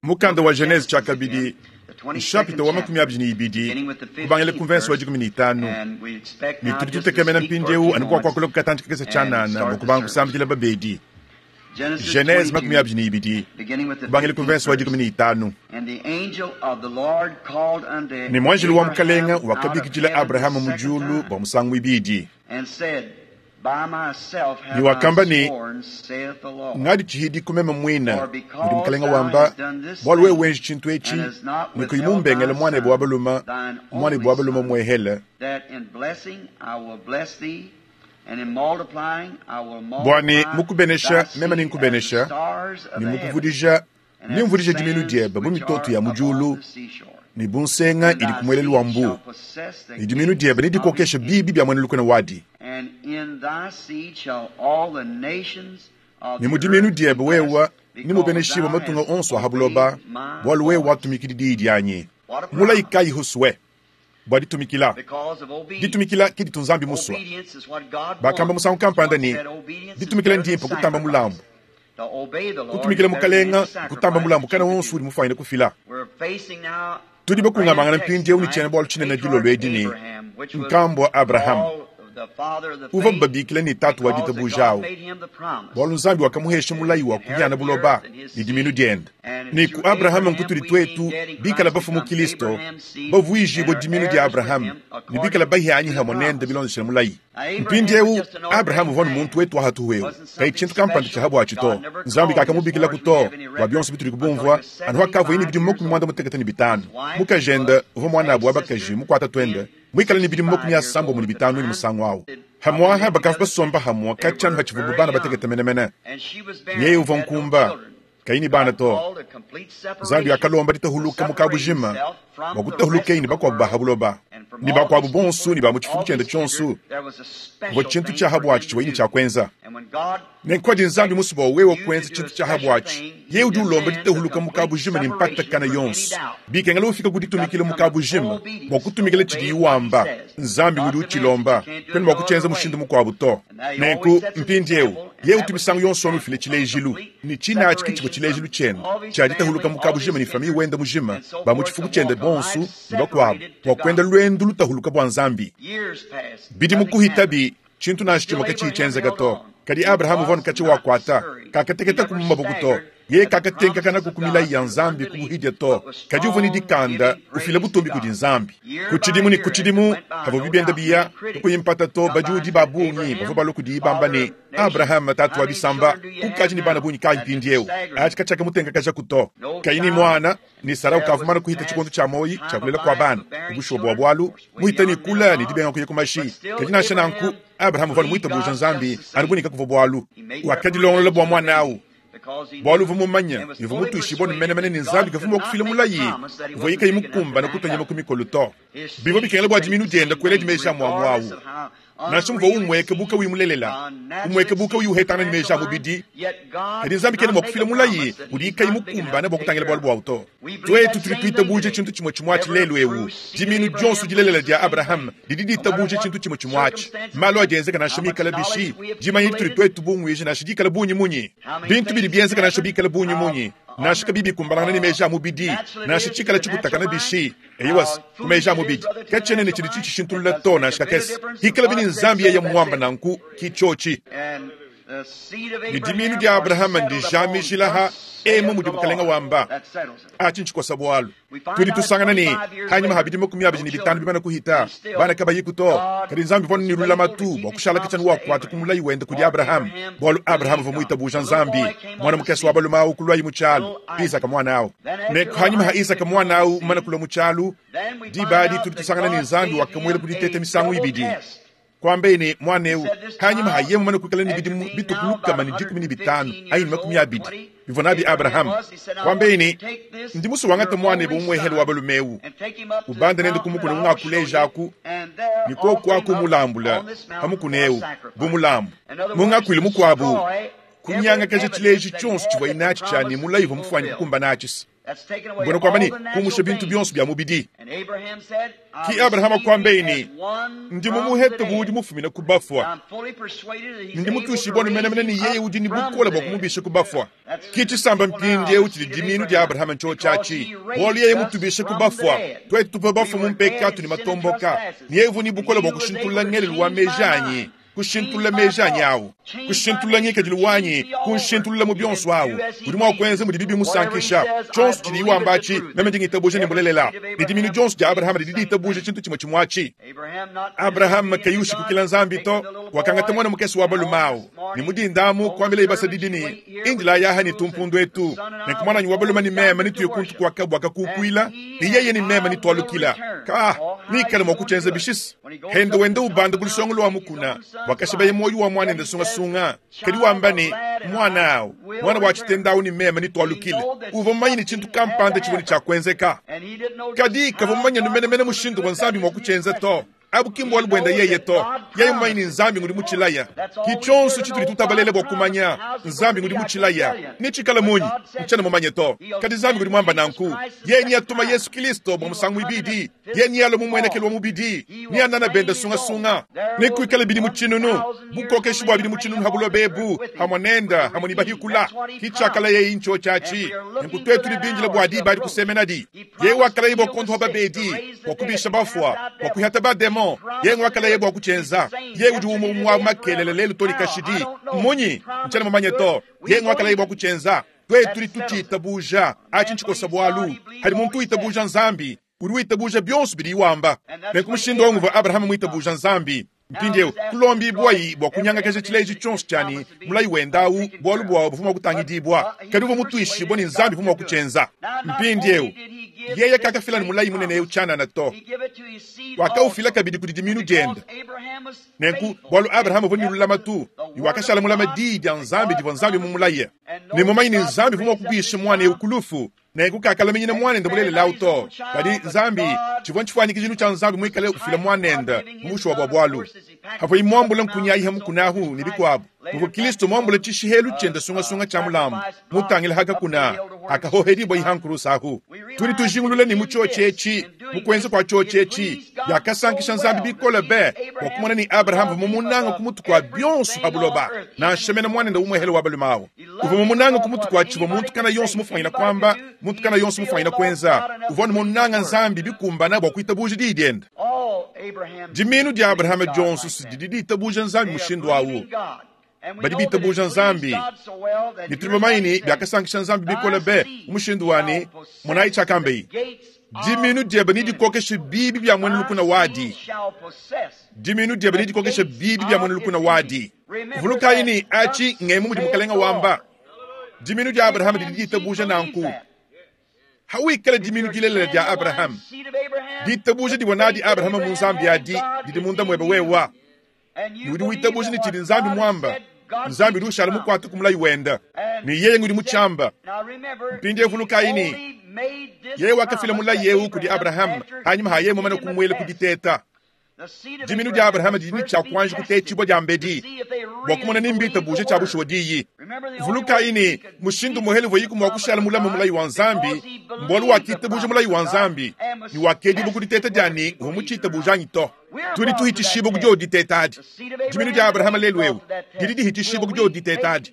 Mukanda wa Genese tshiakabidi, nshapita wa 22, kubangila ku mvense wa 15, ne tudi tutekemena mpindieu anu bua kuakula ku katantshi kakese tshianana bua kubanga kusambidila babedi. Genese 22, kubangila ku mvense wa 15. Ne muanjelu wa Mukalenga wakabikidila Abrahama mu diulu bua musangu muibidi. Ne wakamba ne, Ngadi tshihidiku meme muine, mudi Mukelenge wamba, bualu wewe wenji tshintu etshi, ne kuyi mumbengele muanebe wa balume, muanebe wa balume muehele, bua ne mu kubenesha meme nenkubenesha, ne mu kuvudija Nemvudije diminu diebe bu mitoto ya mu diulu ne bu nsenga idi ku muelelu wa mbuu, ne diminu diebe nedikokeshe biibi bia muena lukuna wadi. Ne mu diminu diebe wewe nemubeneshibue matunga onso a ha buloba, bualu wewe watumikidi diyi dianyi. Mulayi kayi husue bua ditumikila? Ditumikila ke ditu Nzambi musue. Bakamba musangu kampanda ne, Ditumikila ndimpe kutamba mulambu. Kutumikila Mukalenga nkutamba mulambu kana wonso udi mufuanyine kufila. Tudi bakungamangana mpindieu ne tshiena-bualu tshinene dilolo edi ne, Nkambua Abrahama, uvuabu babikila ne tatu wa ditabuja au, bualu Nzambi wakamuhesha mulayi wa kuhiana buloba ne diminu diende. Ne ku Abrahama nkutudi tuetu, bikala bafue mu Kilisto, bavuijibue diminu dia Abrahama ne bikala bahianyi hamue nende bilondeshile mulayi. Mpindieu, Abrahama uvua anu muntu wetu wa hatuhu eu, kayi tshintu kampanda tshia ha buatshi to. Nzambi kakamubikilaku to, bua bionso bitudi kubumvua, anu hakavuaye ne bidimu 55. Mukajende uvua muanabu wa bakaji mukuata tuende, muikale ne bidimu 95 ne musangu au. Hamuaha bakavua basomba hamue katshia anu hatshivuabu bana batekete menemene. Yeye uvua nkumba, kayi ne bana to. Nzambi wakalomba ditahuluka mu kabujima bua kutahulukeye ne bakuabu ba ha buloba ne bakuabu bonso ne ba mu tshifuku tshiende tshionso. Kuvua tshintu tshia ha buatshi tshivuaye ne tshia kuenza. Nenku padi Nzambi musue bua wewe kuenza tshintu tshia ha buatshi, yeye udi ulomba ditahuluka mu kabujima ne mpatakana yonso. Bikengela ufika ku ditumikila mu kabujima bua kutumikila tshidiye wamba. Nzambi ngudi utshilomba, kuena mua kutshienza mushindu mukuabu to. Nenku mpindieu, yeye utu misangu yonso anu ufila tshilejilu, ne tshine atshi ke tshivua tshilejilu tshiende tshia ditahuluka mu kabujima ne famiye wende mujima, ba mu tshifuku tshiende bonso ne bakuabu, bua kuenda luendu lutahuluka bua Nzambi. Bidimu kuhitabi, tshintu nansha tshimue katshiyi tshienzeka to. Kadi Abrahama uvua anu katshia wakuata, kakateketaku mu maboko to. Yeye kakatenkakanaku ku milayi ya Nzambi ku buhidia to, kadi uvua ne dikanda, ufila butumbi kudi Nzambi. Ku tshidimu ne ku tshidimu, pavua bibienda biya, kakuyi mpata to, bajuudi ba bungi bavua balua kudiye bamba ne, Abrahama, tatu wa bisamba, ukadi ne bana bungi kayi mpindieu? Atshi katshiakamutenkakajaku to. Kayi ne muana, ne Sara ukavua mumane kuhita tshikondo tshia muoyo tshia kulela kua bana. Bushuwa bua bualu, muhita ne kula ne dibenga kuya ku mashi. Kadi nansha nanku, Abrahama uvua anu muitabuja Nzambi anu bu ne kakuvua bualu. Wakadilongolola bua muana au bualu uvua mumanye ne uvua mutuishibue ne menemene ne Nzambi kavua mua kufila mulayi uvuaye kayi mukumbane kutua nyama ku mikolo to. Bivua bikengela bua diminu diende kueladi meji a muamua au, nansha muvua umueka bu kauyi mulelela, umueka bu kauyi uhetangana ne meji a mubidi. Kadi Nzambi kena mua kufila mulayi udiye kayi mukumbane bua kutangila bualu buawu to. Tuetu tudi tuitabuja tshintu tshimue tshimue atshi lelu eu. Dimiinu dionso dilelela dia Abrahama didi ditabuja tshintu tshimue tshimue atshi. Malu adi enzeka nansha mikale bishi, dimanya ditudi tuetu bunguije nansha dikale bungi munyi, bintu bidi bienzeka nansha bikale bungi munyi, nansha kabiyi bikumbanangana ne meji a mubidi, nansha tshikale tshikutakana bishi, eyowa, ku meji a mubidi, katshiena ne tshidi tshitshishintulula to nansha kakese. Hikalabi ne Nzambi yeye mmuamba nanku, ki tshiotshi. Ne dimiinu dia Abrahama ndijamijila ha emu mudi Mukalenga wamba. Atshi ntshikosa bualu. Tudi tusangana ne, hanyima ha bidimu 25 bimane kuhita, bana kabayiku to, kadi Nzambi uvua ne lulamatu bua kushala katshia wakuata ku mulayi wende kudi Abrahama, bualu Abrahama uvua muitabuja Nzambi. Muana mukese wa balume au kuluaye mu tshialu, Isaka muana au. Ne hanyima ha Isaka muana au mumane kulua mu tshialu, diba adi tudi tusangana ne Nzambi wakamuela ku diteta misangu ibidi. Kuambaye ne, Muana eu, hanyima ha yeye mumane kuikala ne bidimu bitue ku 115 anyi ne 20 bivua nabi Abrahama, kuambaye ne, Ndi musue wangate muanebe umuehele wa balume eu, ubande nende ku mukuna ungakulejaku, ne koku aku umulambule pa mukuna eu bu mulambu. Mu ngakuilu mukuabu, kunyangakaja tshileji tshionso tshivuaye natshi tshia ne mulayi uvua mufuane kukumbana atshi. Mbuena kuamba ne, kumusha bintu bionso bia mubidi. Ki Abrahama kuambeyi ne, Ndi mumuhete bu udi mufumine ku bafua. Ndi mutuishibue menemene ne yeye udi ne bukole bua kumubisha ku bafua. Ki tshisamba mpindieu tshidi dimiinu dia Abrahama ntshiotshi atshi, bualu yeye mutubishe ku bafua, tuetu tuvua bafue mu mpekatu ne matomboka, ne yeye uvua ne bukole bua kushintulula ngelelu wa meji anyi. Kushintulula meji anyi awu, kushintulula ngikadilu wanyi, kunshintulula mu bionso awu. Udi mua kuenza mudibi bimusankisha. Tshionso tshidiye wamba atshi, meme ndi ngitabuja ne mbulelela. Ne dimiinu dionso dia Abrahama didi ditabuja tshintu tshimue tshimue atshi. Abrahama kayi ushikukila Nzambi to, wakangata muana mukese wa balume awu, ne mu dinda amu kuambilaye basadidi ne, Indilayi aha ne tumpundu etu, nenku muananyi wa balume ne meme netuye kuntu kua kabua kakukuila, ne yeye ne meme netualukila. Ka, neikale mua kutshienza bishisa. Hende wenda ubanda ku lusongo lua mukuna, wakashibaye muoyo wa muanende sungasunga, kadi wamba ne, Muana au, muana wa tshitenda au ne meme netualukile. Uvua mumanye ne tshintu kampanda tshivua ne tshia kuenzeka, kadi kavua mumanye menemene mushindu uvua Nzambi mua kutshienza to. Abu ki mbualu buende yeye to. Yeye mumanye ne Nzambi ngudi mutshilaya. Ki tshionso tshitudi tutabalela bua kumanya, Nzambi ngudi mutshilaya. Netshikale munyi? Ntshiena mumanye to. Kadi Nzambi ngudi muamba nanku. Yeye neatuma Yesu Kilisto bua musangu muibidi. Yeye nealue mu muenekelu wa mubidi. Neanana bende sungasunga. Nekuikale bidimu tshinunu, bukokeshi bua bidimu tshinunu ha buloba ebu, hamue nende, hamue ne bahikula. Ki tshiakalayeyi ntshiotshi atshi. Nenku tuetu tudi bindile bua diba adi kusemenadi. Yeye wakalaye bua kuondopa babedi, bua kubisha bafua, bua kuihata bademon. Yeye nguakalaye bua kutshienza. Yeye udi umue umue wa makelela lelu to ne kashidi. Mmunyi? Ntshiena mumanye to. Yeye nguakalaye bua kutshienza. Tuetu tudi tutshitabuja. Atshi ntshikosa bualu. Padi muntu witabuja Nzambi, udi witabuja bionso bidiye wamba. Nenku mushindu au nguvua Abrahama muitabuja Nzambi. Mpindieu, kulombibuayi bua kunyangakaja tshileji tshionso tshia ne, mulayi wende au, bualu buawu buvua mua kutangidibua, kadi uvua mutuishibue ne, Nzambi uvua mua kutshienza. Mpindieu, yeye kakafila ne mulayi munene eu tshianana to. Wakaufila kabidi kudi dimiinu diende. Nenku, bualu Abrahama uvua ne lulamatu, ne wakashala mulame diyi dia Nzambi divua Nzambi mumulaye, ne mumanye ne, Nzambi uvua mua kubisha muana eu ku lufu, Nenku kakalaminyina muanende mulelela au to. Kadi Nzambi, tshivua ntshifuanyikijilu tshia Nzambi muikale ufila muanende mu bushuwa bua bualu. Pavuaye muambule nkunyi ayi ha mukuna ahu ne bikuabu, muvua Kilisto muambule tshishihelu tshiende sungasunga tshia mulambu, mutangile ha kakuna akahohedibua ha nkurusa ahu. Tudi tujingulula ne mu tshiotshi etshi, mu kuenza kua tshiotshi etshi, biakasankisha Nzambi bikole be bua kumona ne Abrahama uvua mumunange ku mutu kua bionso pa buloba, nansha mene muanende umuehele wa balume au. Uvua mumunange ku mutu kua tshivua muntu kana yonso mufuanyina kuamba, muntu kana yonso mufuanyina kuenza. Uvua anu munange Nzambi bikumbana bua kuitabuja diyi diende. Dimiinu dia Abrahama dionso si didi ditabuja Nzambi mushindu au. Badi bitabuja Nzambi, ne tudi bamanye ne, biakasankisha Nzambi bikole be mu mushindu wa ne, monayi tshiakambeye, Dimiinu diebe nedikokeshe biibi bia muena lukuna wadi. Dimiinu diebe nedikokeshe biibi bia muena lukuna wadi. Vulukayi ne, atshi ngemu mudi Mukalenga wamba. Dimiinu dia Abrahama didi ditabuja nanku. Hawikala dimiinu dilelela dia Abrahama, ditabuja divua nadi Abrahama mu Nzambi adi didi munda muebe wewa. Ne udi witabuja ne tshidi Nzambi muamba, Nzambi udi ushala mukuate ku mulayi wende, ne yeye ngudi mutshiamba. Mpindieu vulukayi ne, yeye wakafila mulayi eu kudi Abrahama panyima ha yeye mumane kumuela ku diteta. Diminu dia Abrahama didi ne tshia kuanji kutetshibua diambedi bua kumona ni mbitabuje tshia bushuwa diyi. Vulukayi ne, mushindu muhele uvua mua kushala mulame mulayi wa Nzambi mbualu wakitabuja mulayi wa Nzambi ne wakedibua ku diteta dia ne uvua mutshitabuja anyi to. Tudi tuhitshishibua ku diodi diteta adi. Diminu dia Abrahama lelu eu didi dihitshishibua ku diodi diteta adi.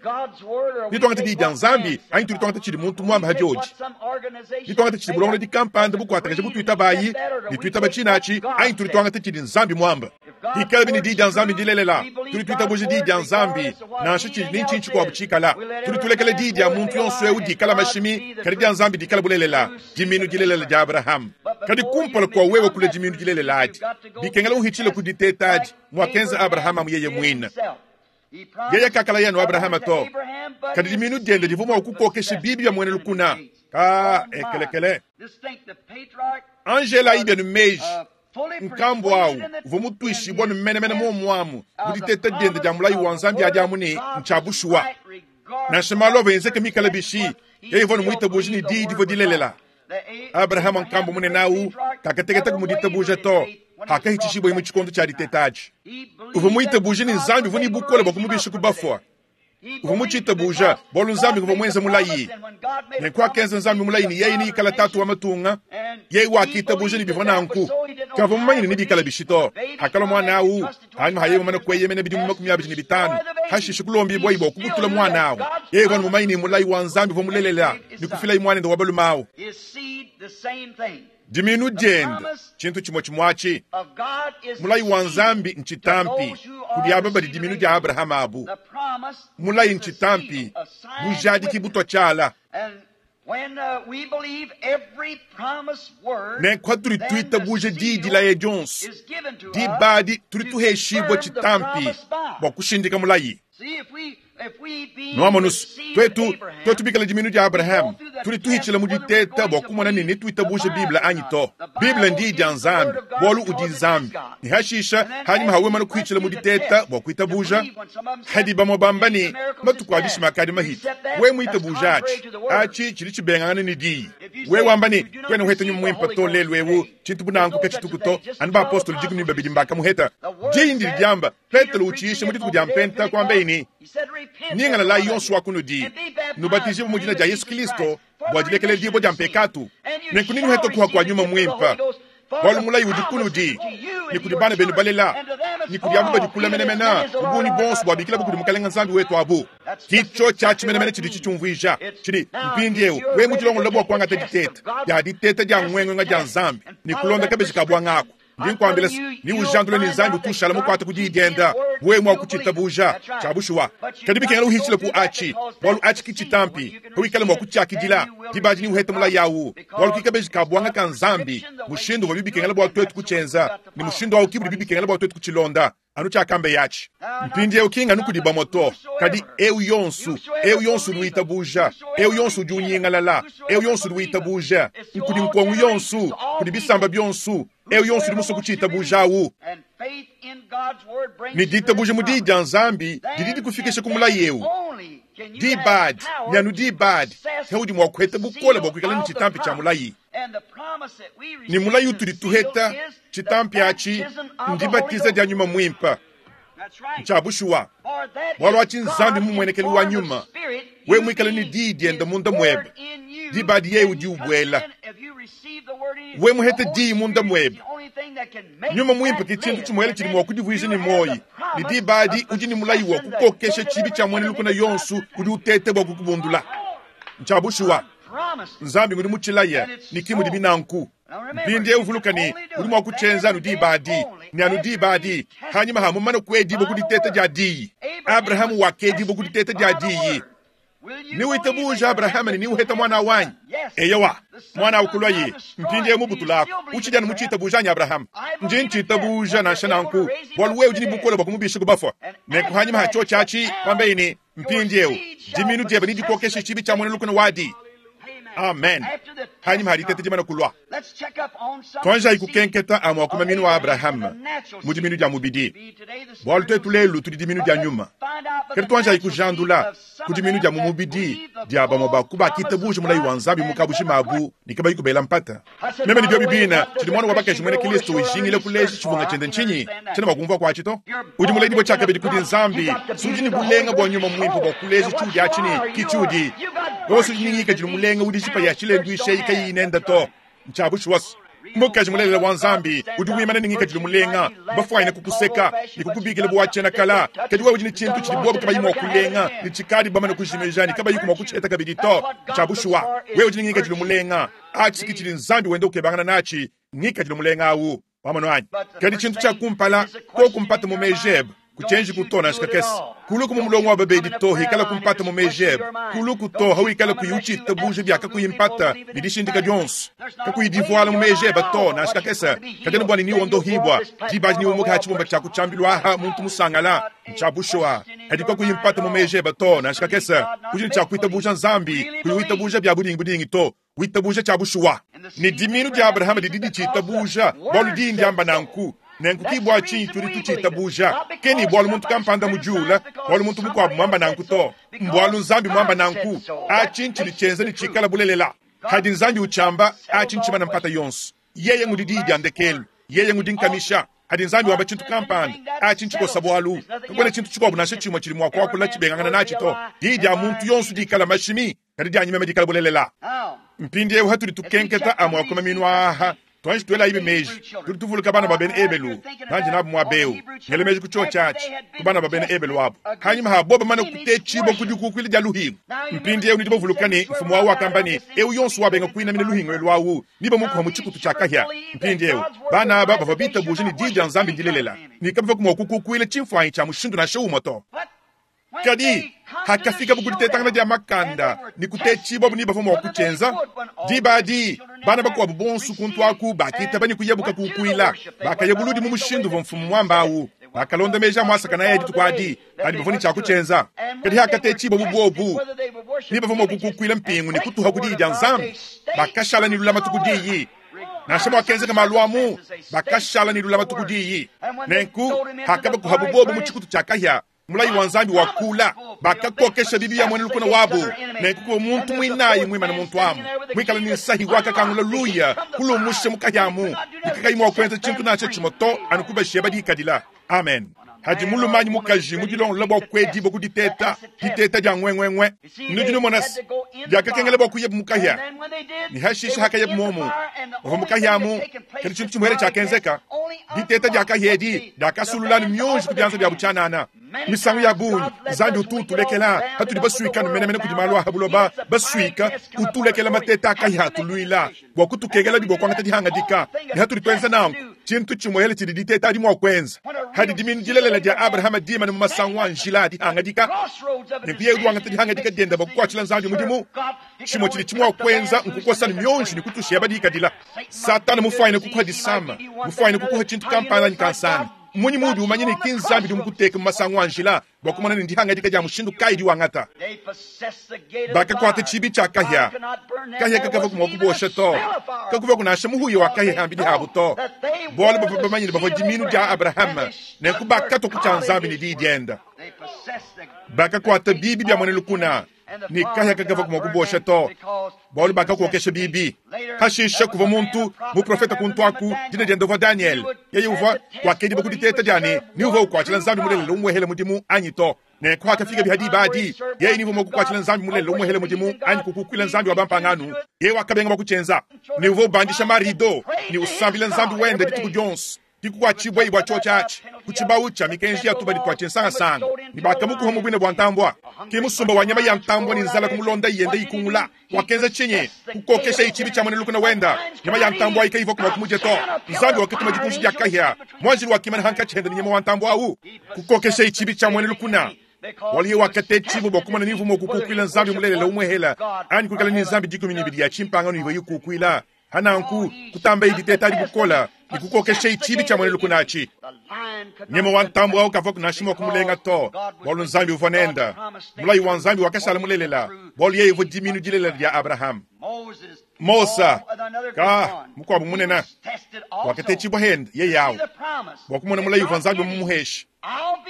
Nituangate diyi dia Nzambi anyi tudi tuangata tshidi muntu muamba ha diodi? Nituangate tshidi bulongolodi kampanda bukuatakaja butuitabayi ne tuitaba tshina atshi anyi tudi tuangata tshidi Nzambi muamba? Pikalabi ne diyi dia Nzambi ndilelela, tudi tuitabuja diyi dia Nzambi nansha tshidi ne ntshinyi tshikuabu tshikala. Tudi tulekela diyi dia muntu yonso eu dikala mashimi, kadi dia Nzambi dikala bulelela, diminu dilelela dia Abrahama. Kadi kumpala kua wewe kulua diminu dilelela adi, bikengela uhitshile ku diteta adi muakenza Abrahama yeye muine. Yeye kakalaya anu Abrahama to, kadi diminu diende divua mua kukokesha bibi bia muena lukuna. Ka ekelekele. Angela ayi bienu meji nkambua au uvua mutuishibue anu menemene muomu amu mu diteta diende dia mulayi wa Nzambi adi amu ne ntshia bushuwa. Nansha malu avua enzeke mikale bishi, yeye uvua anu muitabuje ne diyi divua dilelela. Abrahama nkambua munene au kakateketa mu ditabuja to hakahitshishibuaye mu tshikondo tshia diteta atshi. Uvua muitabuje ne Nzambi uvua ne bukole bua kumubisha ku bafua. Uvua mucitabuuja, bwalu Nzambi nguvwa mwenze mulayi. Nenku akenza Nzambi mulayi ne yeye neikale taatu wa matunga, yeye wakiitabuuja ne bivwa nanku. Kavwa mumanye ne nebiikale bishi to. Hakalwa mwana awu, hanyima ha yeye mumane kweyemena bidimu 25, hashishe kulombiibwaye bwa kubutula mwana awu, yeye uvwa ne mumanye ne mulayi wa Nzambi uvwa mulelela ne kufilaye mwanende wa balume awu. Dimiinu diende, tshintu tshimue tshimue atshi. Mulayi wa Nzambi ntshitampi kudi aba badi dimiinu dia Abrahama abu. Mulayi ntshitampi, bujadiki butua tshiala. Nenku patudi tuitabuja diyi dilaya dionso, diba adi tudi tuheshibua tshitampi bua kushindika mulayi. Nuamonu's, twetu, twetu bikale dimiinu dya Abraham, tudi tuhicila mu diteta bwa kumona ne netwitabuje Bible anyi to. Bible n'Diyi dya Nzambi, bwalu udi Nzambi. Ne hashisha, hanyima ha wemana kuhicila mu diteta bwa kwitabuja, hadi bamwe bamba ne, Matuku a bishima akadi mahite. Wewe mwitabuje aci, aci cidi cibengangana ne Diyi. Wewe wamba ne, Kwena uheta Nyuma Mwimpe to lelu ewu, cintu bu nanku kacituku to, anu bapostolo 12 mbakamuheta. Diyi ndidi dyamba, Petelo utshiisha mu dituku dia Mpenta, kuambaye ne, Nyingalalayi yonso wa kunudi, nubatijibue mu dina dia Yesu Kilisto bua dilekeledibua dia mpekatu, nenku nenuhete kuha kua Nyuma Muimpe, bualu mulayi udi kunudi, ne kudi bana benu balela, ne kudi aba badi kule menemene, mu bungi buonso buabikilabu kudi Mukalenge Nzambi wetu abu. Ki tshiotshi atshi menemene tshidi tshitshiumvuija. Tshidi, mpindieu, wewe mudilongolole bua kuangata diteta dia diteta dia nguenguenga dia Nzambi ne kulonda kabeji ka buanga aku. Ndi nkuambila se, neujandule ne Nzambi utu ushala mukuate ku Diyi dienda, wewe mua kucitabuja. Cya bushuwa. Kadi bikengela uhicile ku aci, bualu aci ki citampi. Pawikala mua kucyakidila, diba adi neuhete mulayi awu, bualu ki kabeji ka buanga ka Nzambi, mushindu uvuabi bikengela bua tuetu kucyenza, ne mushindu awu ki budibi bikengela bua tuetu kucilonda. Anu cyakambeye aci. Mpindyewu ki nganu kudi bamue to, kadi ewu yonsu, ewu yonsu udi witabuja, ewu yonsu udi unyingalala, ewu yonsu udi witabuja, nkudi nkongu yonsu, kudi bisamba byonsu, ewu yonsu udi musue kucitabuja awu. Ne ditabuja mu Diyi dya Nzambi didi dikufikisha ku mulayi ewu. Diba adi, ne anu diba adi, ke udi mua kuheta bukole bua kuikala ne tshitampi tshia mulayi. Ne mulayi utudi tuheta, tshitampi atshi, ndibatiza dia Nyuma Muimpe. Ntshia bushuwa. Bualu atshi n'Nzambi mumuenekelu wa Nyuma. Wewe muikale ne Diyi diende munda muebe, diba adi Yeye udi ubuela. Wewe muhete Diyi munda muebe, Nyuma Muimpe ke tshintu tshimuele tshidi mua kudivuija ne muoyi, ne diba adi udi ne mulayi wa kukokesha tshibi tshia muena lukuna yonso udi uteta bua kukubundula. Ntshia bushuwa. Nzambi ngudi mutshilaye, ne ki mudibi nanku. Mpindieu vuluka ne, udi mua kutshienza anu diba adi, ne anu diba adi, hanyima ha mumane kuedibua ku diteta dia Diyi. Abrahama wakedibua ku diteta dia Diyi. Newitabuja Abrahama ne newuheta muana awu anyi? Eyowa, muana awu kuluaye. Mpindieu mubutulaku, utshidi anu mutshiitabuja anyi Abrahama? Ndi ntshiitabuja nansha nanku, bualu wewe udi ne bukole bua kumubisha ku bafua. Nenku hanyima ha tshiotshi atshi, kuambaye ne, Mpindieu, dimiinu diebe nedikokeshe tshibi tshia muena lukuna wadi. Amen. Hanyima ha diteta dimana kulua, tuanjayi kukenketa amue a ku maminu a Abrahama mu diminu dia mubidi, bualu tuetu lelu tudi diminu dia nyuma. Kadi tuanjayi kujandula ku diminu dia mu mubidi dia bamue ba ku bakitabuja mulayi wa Nzambi mu kabujima abu ne kabayi kubela mpata. Meme ne biobi bine, tshidi muana wa bakaji muena Kristo ujingila kuleja tshibunga tshiende ntshinyi? Tshiena mua kumvua kuatshi to. Udi muledibue tshiakabidi kudi Nzambi, si udi ne bulenga bua nyuma muimpe bua kuleja tshiudi atshi ne ki tshiudi. Wewe si udi ne ngikadilu mulenga udi jipa ya tshilenduishi eyi kayiyi nende to. Ntshia bushuwa. Mukaji mulelela wa Nzambi udi wimana ne ngikadilu mulenga, bafuanyine kukuseka ne kukubikila bu wa tshiena kala, kadi wewe udi ne tshintu tshidi bobu kabayi mua kulenga ne tshikadi bamane kujimija ne kabayiku mua kutshiheta kabidi to. Ntshia bushuwa. Wewe udi ne ngikadilu mulenga. Atshi ke tshidi Nzambi wenda ukebangana natshi, ngikadilu mulenga au. Wamonu anyi? Kadi tshintu tshia kumpala, koku mpata mu meji ebe, kutshienjiku to nansha kakese. Kuluku mu mulongo wa babedi to, ikalaku mpata mu meji ebe. Kuluku to hawikala kuyi utshitabuja bia kakuyi mpata ne dishindika dionso, kakuyi divuala mu meji ebe to nansha kakese. Kadi anu bua ne niwondohibua, diba adi niumuke ha tshibumba tshia ku tshiambilu aha muntu musangala. Ntshia bushuwa, kadi kakuyi mpata mu meji ebe to nansha kakese. Udi ne tshia kuitabuja Nzambi, kuyi witabuja bia budingibudingi to. Witabuja tshia bushuwa ne dimiinu dia Abrahama didi ditshiitabuja, bualu Diyi ndiamba nanku. Nenku ki bua tshinyi tudi tutshiitabuja, ki ni bualu muntu kampanda mudiula, bualu muntu mukuabu muamba nanku to. Mbualu Nzambi muamba nanku. Atshi ntshidi tshienza ne tshikala bulelela. Padi Nzambi utshiamba, atshi ntshimana mpata yonso. Yeye ngudi Diyi dia ndekelu. Yeye ngudi nkamisha. Hadi Nzambi wamba tshintu kampanda, atshi ntshikosa bualu. Kakuena tshintu tshikuabu nansha tshimue tshidi mua kuakula tshibengangana natshi to. Diyi dia muntu yonso dikala mashimi, kadi dianyi meme dikala bulelela. Mpindieu hatudi tukenketa amue a ku maminu aa, tuanji tuelayibi meji. Tudi tuvuluka bana ba bena Ebelu, bandi nabu muaba eu, ngela meji ku tshiotshi atshi, ku bana ba bena Ebelu abu, hanyima ha bobo bamane kutetshibua ku dikukuila dia luhingu. Mpindieu nudi bavuluka ne, mfumu wawu wakamba ne, eu yonso wabenga kuinamina luhingu elu awu, nebamukuha mu tshikutu tshia kahia. Mpindieu, bana aba bavua bitabuje ne diyi dia Nzambi ndilelela, ne kabavua mua kukukuila tshimfuanyi tshia mushindu nansha umue to. Kadi hakafikabu ku ditetangana dia makanda ne kutetshibuabu ne bavua mua kutshienza, diba adi bana bakuabu bonso kuntu aku bakitaba ne kuyabu kakukuila. Bakaya buludi mu mushindu uvua mfumu muamba au. Bakalonda meji a muasakanaye dituku adi, kadi bavua ne tshia kutshienza. Kadi hakatetshibuabu buobu ne bavua mua kukukuila mpingu ne kutuha ku diyi dia Nzambi, bakashala ne lulamatu ku diyi. Nansha muakenzeka malu amu, bakashala ne lulamatu ku diyi. Nenku hakabakuhabu bobu mu tshikutu tshia kahia, mulayi wa Nzambi wakula, bakakokesha bibi ya muena lukuna wabu. Nenku kuvua muntu muinayi muimane muntu amu, muikale ne nsahi wakakangula luya kulumusha mu kahia amu, ne kakayi mua kuenza tshintu nansha tshimue to, anu kubashiya badikadila. Amen. Hadi mulume anyi mukaji mudilongolola bua kuedibua ku diteta, diteta dia nguenguengue, nudi numona se, diakakengela bua kuyabu mu kahia, ne hashishe hakayabu muomu, bavua mu kahia amu, kadi tshintu tshimuele tshiakenzeka, diteta dia kahia edi diakasulula ne mionji ku bianza biabu tshianana. Misangu ya bungi Nzambi utu utulekela hatudi basuika menemene kudi malu a ha buloba, basuika, utulekela mateta a kahia atuluila bua kutukengelabi bua kuangata dihangadika, ne hatudi tuenza nanku, tshintu tshimuele tshidi diteta adi mua kuenza. Hadi diminu dilelela dia Abrahama dimane mu masangu a njila a dihangadika, nenku yeye udi wangata dihangadika diende bua kukuatshila Nzambi mudimu. Tshimue tshidi tshimua kuenza nkukosa ne mionji ne kutushiya badikadila. Satana mufuanyine kukuha disama, mufuanyine kukuha tshintu kampanda anyi kansanga. Mmunyi muudi umanya ne ki Nzambi udi mukuteke mu masangu a njila bua kumona ne ndihangadika dia mushindu kayi diwangata? Bakakuata tshibi tshia kahia, kahia kakavua mua kubosha to, kakuvua nansha muhuya wa kahia hambidi habu to, bualu bavua bamanye ne bavua diminu dia Abrahama, nenku bakatua ku tshia Nzambi ne diyi dienda. Bakakuata bibi bia muena lukuna, ne kahia kakavua mua kubosha to, bualu bakakokesha bibi. Hashishe kuvua muntu muprofete kuntu aku, dina diende uvua Daniel. Yeye uvua wakedibua ku diteta dia ne ni uvua ukuatshila Nzambi mulelela umuehele mudimu anyi to. Nenku hakafika biha diba adi, yeye ni uvua mua kukuatshila Nzambi mulelela umuehele mudimu anyi kukukuila Nzambi wa bampangano, yeye wakabenga bua kutshienza. Ne uvua ubandisha marido ne usambila Nzambi wende dituku dionso. Kikukuatshibua bua tshiotshi atshi ku tshibawu tshia mikenji ya tubadi tua tshinsangasanga, ne bakamukuha mu buina bua ntambua. Ke musumba wa nyama ya ntambua ne nzala kumulonda yenda ikungula. Wakenza tshinyi? Kukokesha tshibi tshia muena lukuna wenda. Nyama ya ntambua ayi kayivua mua kumudia to. Nzambi wakatuma dikunji dia kahia. Muanjelu wakimana hankatshi hende ne nyama wa ntambua au. Kukokesha tshibi tshia muena lukuna. Bualu yeye wakatetshibua bua kumona ni uvua mua kukukuila Nzambi mulelela umuehela anyi kuikala ne nzambi 12 ya tshimpangano ivua ikukuila. Hananku kutamba diteta adi bukola ne kukokesha tshibi tshia muena lukuna atshi. Nyama wa ntambue au kavua nansha mua kumulenga to, bualu Nzambi uvua nenda. Mulayi wa Nzambi wakashala mulelela, bualu yeye uvua diminu dilelela dia Abrahama. Mosa ka mukuabu munene wakatetshibua hende yeye awu bua kumona mulayi uvua Nzambi mumuheshe.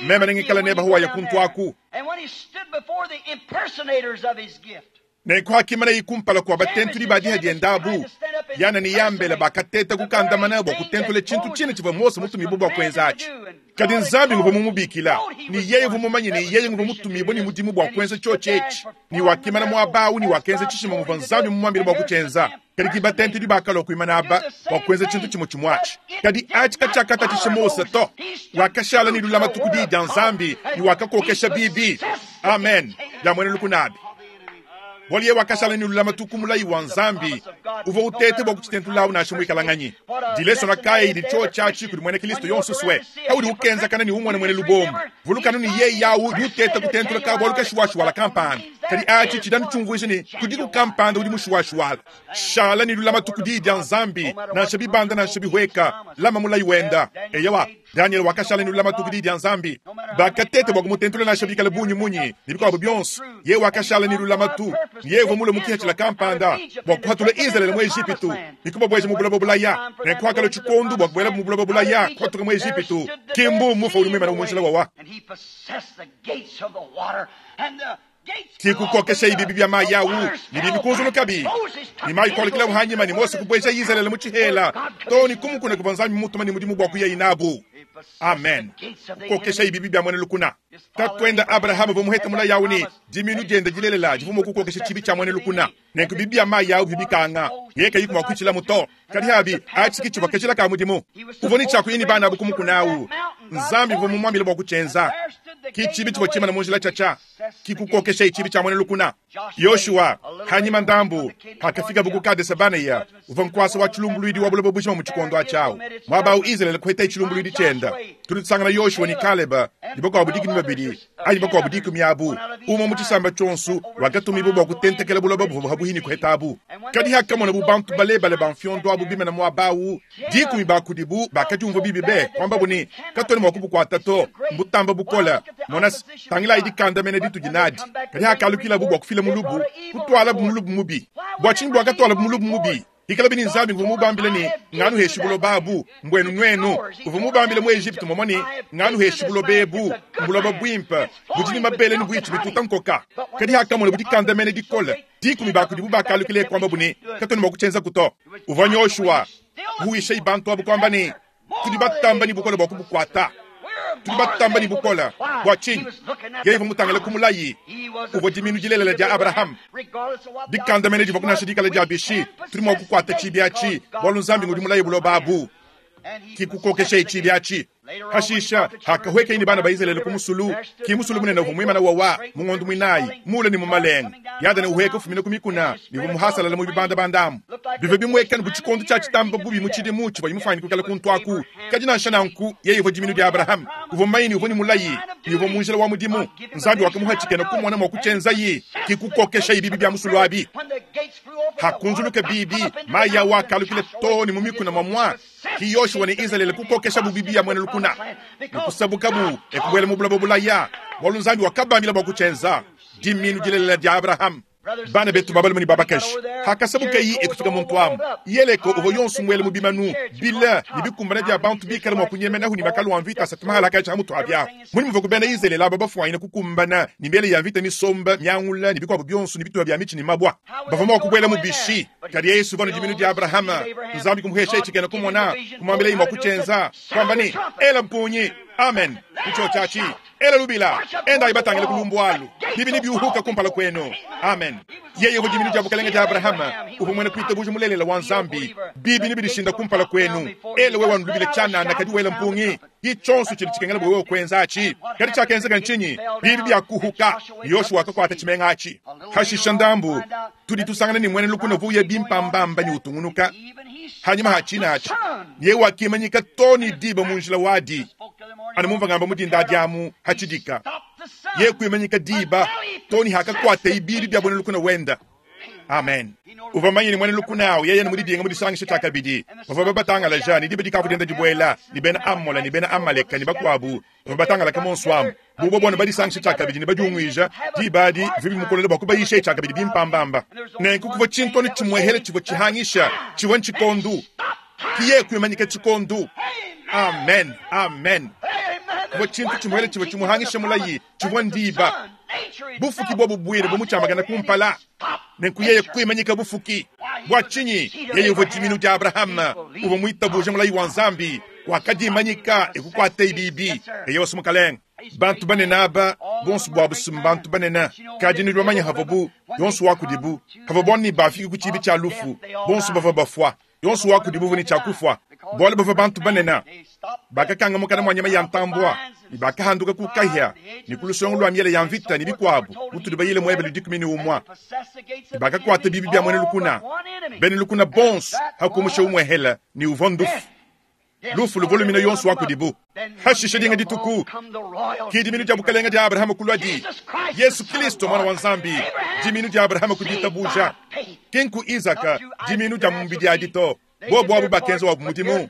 Meme nengikala nebe hawaya kuntu aku. Nenku hakimana kumpala kua batentudi ba diha dienda abu, Yana ne Yambele bakateta kukandamana bua kutentula tshintu tshine tshivua Mose mutumibue bua kuenza atshi. Kadi Nzambi nguvua mumubikila, ne yeye uvua mumanye ne yeye nguvua mutumibue ne mudimu bua kuenza tshiotshi etshi, ne wakimana muaba au ne wakenza tshishima muvua Nzambi mumuambile bua kutshienza. Kadi ki batentudi bakalua kuimana aba bua kuenza tshintu tshimue tshimue atshi. Kadi atshi katshiakatatshisha Mose to. Wakashala ne lulamatu ku diyi dia Nzambi ne wakakokesha bibi. Amen. Bia muena lukuna abi. Bualu yeye wakashala ne lulamatu ku mulayi wa Nzambi uvua utete bua kutshitentulawu nansha muikalanganyi. Dilesona kayi didi tshiotshi atshi kudi muena Kristo yonso sue? Paudi ukenzakana ne umona muena lubombo, vulukanu ne yeye awu udi uteta kutentula ka bualu kashiwashiwala kampanda. Kadi atshi tshidi anu tshiumvuija ne kudiku kampanda udi mushiwashiwala. Shala ne lulamatu ku diyi dia Nzambi, nansha bibanda nansha bihueka, lama mulayi wenda. Eyowa, Daniel wakashala ne lulamatu ku diyi dia Nzambi. Bakateta bua kumutentula nansha bikale bungi munyi ne bikuabu bionso. Yeye wakashala ne lulamatu, ne yeye uvua mulue mu kihethila kampanda bua kuhatula Izalele mu Ejipitu ne kubabueja mu buloba bulaya. Nenku hakalua tshikondo bua kubuelabu mu buloba bulaya, kuhatuka mu Ejipitu, ki mbu mufa udi muimane mu njila wawa. Kikukokesha ibibi bia mayi au ne bibi kunzulukabi ne mayi kualukilabu hanyima ne Mose kubueja Izalele mu tshihela too ne kumukuna kuvua Nzambi mumutuma ne mudimu bua kuyayi nabu. Amen. Kukokeshayi bibi bia muena lukuna. Tatuende Abrahama uvua muhete mulayi au ne, dimiinu diende dilelela divua mua kukokesha tshibi tshia muena lukuna. Nenku bibi bia mayi au bivua bikanga, yeye kayiku mua kuitshilamu to. Kadi abi, atshi ke tshivua kajila ka mudimu. Uvua ne tshia kuya ne bana abu ku mukuna au. Nzambi uvua mumuambile bua kutshienza. Ke tshibi tshivua tshimana mu njila tshiatshia, ke kukokeshayi tshibi tshia muena lukuna. Yoshua, hanyima ndambu, pakafikabu ku Kadese-Banea, uvua nkuasa wa tshilumbuluidi wa buloba bujima mu tshikondo atshi au. Muaba au Izalele kuhetaye tshilumbuluidi tshienda. Tudi tusangana Yoshua ne Kaleba ne bakuabu 12 anyi bakuabu 10 abu, umue mu tshisamba tshionso, wakatumibua bua kutentekela buloba buvua habuhi ne kuhetabu. Kadi hakamonabu bantu balebale ba mfiondo abu bimana muaba au, 10 ba kudibu bakadiumvua bibi be, kuambabu ne, Katuena mua kubukuata to, mbutamba bukole. Mona, tangilayi dikandamena ditudi nadi. Kadi hakalukilabu bua kufila mulubu, kutualabu mulubu mubi. Bua tshinyi buakatualabu mulubu mubi? Hikalabi ne Nzambi uvua mubambile ne, Nganuheshi buloba abu, mbuenu nuenu. Uvua mubambile mu Ejipitu momua ne, Nganuheshi buloba ebu, mbuloba buimpe, budi ne mabele ne buitshi bituta nkoka. Kadi hakamonabu dikandamena dikole, 10 ba kudibu bakalukila kuambabu ne, Katuena mua kutshienzaku to. Uvua Yoshua kuhuishayi bantu abu kuamba ne, Tudi batamba ne bukole bua kubukuata. Tudi batamba ne bukole. Bua tshinyi? Yeye uvua mutangile ku mulayi uvua dimiinu dilelela dia Abrahama. Dikandamena divua kunansha dikala dia bishi, tudi mua kukuata tshibi atshi, bualu Nzambi ngudi mulaye buloba abu. Ki kukokeshaye tshibi atshi. Hashisha, hakahuekeye ne bana ba Izalele ku musulu, ki musulu munene uvua muimana wawa mu ngondo muinayi, muule ne mu malenga. Yadene uhueka ufumina ku mikuna ne uvua muhasalala mu bibandabanda amu. Bivua bimuekane bu tshikondo tshia tshitamba bubi mu tshidimu tshivua mufuanyike kuikala kuntu aku. Kadi nansha nanku, yeye uvua dimiinu dia Abrahama. Uvua mumanye ne uvua ne mulayi, ne uvua mu njila wa mudimu. Nzambi wakamuha tshikena kumona mua kutshienzaye, ki kukokeshaye bibi bia musulu abi. Hakunzuluka bibi, mayi awu akalukila too ne mu mikuna muamua. Ki Yoshua ne Izalele kukokeshabu bibi ya muena lukuna ne kusabukabu e kubuela mu buloba bulaya, bualu Nzambi wakabambila bua kutshienza. Dimiinu dilelela dia Abrahama. Bana betu ba balume ne ba bakaji, hakasabukayi e kufika muntu amu, Yeleko uvua yonso muele mu bimanu bile ne bikumbana bia bantu bikale mua kunyemenahu ne makalu a mvita asatu mahalakaji ha mutu ha biahu. Munyi muvua ku bena Izalele aba bafuanyine kukumbana ne miele ya mvita misomba, miangula ne bikuabu bionso ne bitupa bia mitshi ne mabua? Bavua mua kubuela mu bishi? Kadi Yesu uvua ne dimiinu dia Abrahama. Nzambi kumuhesha tshikena kumona, kumuambilaye mua kutshienza, kuamba ne, Ela mpungi. Amen. Ku tshiotshi atshi, ela lubila, endayi batangile ku lumbu alu, bibi nebiuhuka kumpala kuenu. Amen. Yeye uvua dimiinu dia bukalenge dia Abrahama, uvua muena kuitabuja mulelela wa Nzambi. Bibi nebidishinda kumpala kuenu. Ela wewe anu lubila tshianana, kadi wela mpungi. Ki tshionso tshidi tshikengela bua wewe kuenza atshi. Kadi tshiakenzeka ntshinyi? Bibi biakuhuka, ne Yoshua wakakuata tshimenga atshi. Hashisha ndambu, tudi tusangana ne muena lukuna uvua uya bimpambamba ne utungunuka hanyima ha tshina atshi, ne yeye wakimanyika too ne diba mu njila wadi. Anu mumvua ngamba mu dinda adi amu hatshidika, yeye kuimanyika diba too ne hakakuataye bibi bia muena lukuna wenda. Amen. Uvua mumanye ne muena lukuna au yeye ne mudidinga mudisangisha tshiakabidi, bavua babatangalaja ne diba dikavua dienda dibuela, ne bena Amola ne bena Amaleka ne bakuabu bavua batangalaka monso amu. Bu bobo badisangisha tshiakabidi ne badiunguija, diba adi bivua bimukolele bua kubayisha tshiakabidi bimpambamba. Nenku kuvua tshintu anu tshimuehele tshivua tshihangisha, tshivua ntshikondo. Ki yeye kuimanyika tshikondo. Amen, amen. Kuvua tshintu tshimuehele tshivua tshimuhangisha mulayi, tshivua ndiba. Bufuki buobu buine bumutshiamakana kumpala. Nenku yeye kuimanyika bufuki. Bua tshinyi? Yeye uvua dimiinu dia Abrahama, uvua muitabuje mulayi wa Nzambi, wakadimanyika e kukuataye bibi. Eyowa, Mukalenge. Bantu banene aba, bonso buabu si mbantu banene, kadi nudi bamanye havuabu, yonso wa kudibu, havua ne bafike ku tshiibi tshia lufu, bonso bavua bafua. Yonso wa kudibu uvua ne tshia kufua, bualu bavua bantu banene. Bakakanga mukana mua nyama ya ntambua, ne bakahanduka ku kahia ne ku lusongo lua miele ya mvita ne bikuabu, mutudi bayile mu Ebelu 11. Ne bakakuata bibi bia muena lukuna, bena lukuna bonso, hakumusha umuehele ne uvua ndufu. Lufu luvua lumina yonso wa kudibu. Hashisha dinga dituku, ki dimiinu dia bukalenge dia Abrahama kuluadi, Yesu Kristo Muana wa Nzambi, dimiinu dia Abrahama ku ditabuja, ki nku Izaka, dimiinu dia mu mubidi adi to. Bobu abu bakenza wabu mudimu,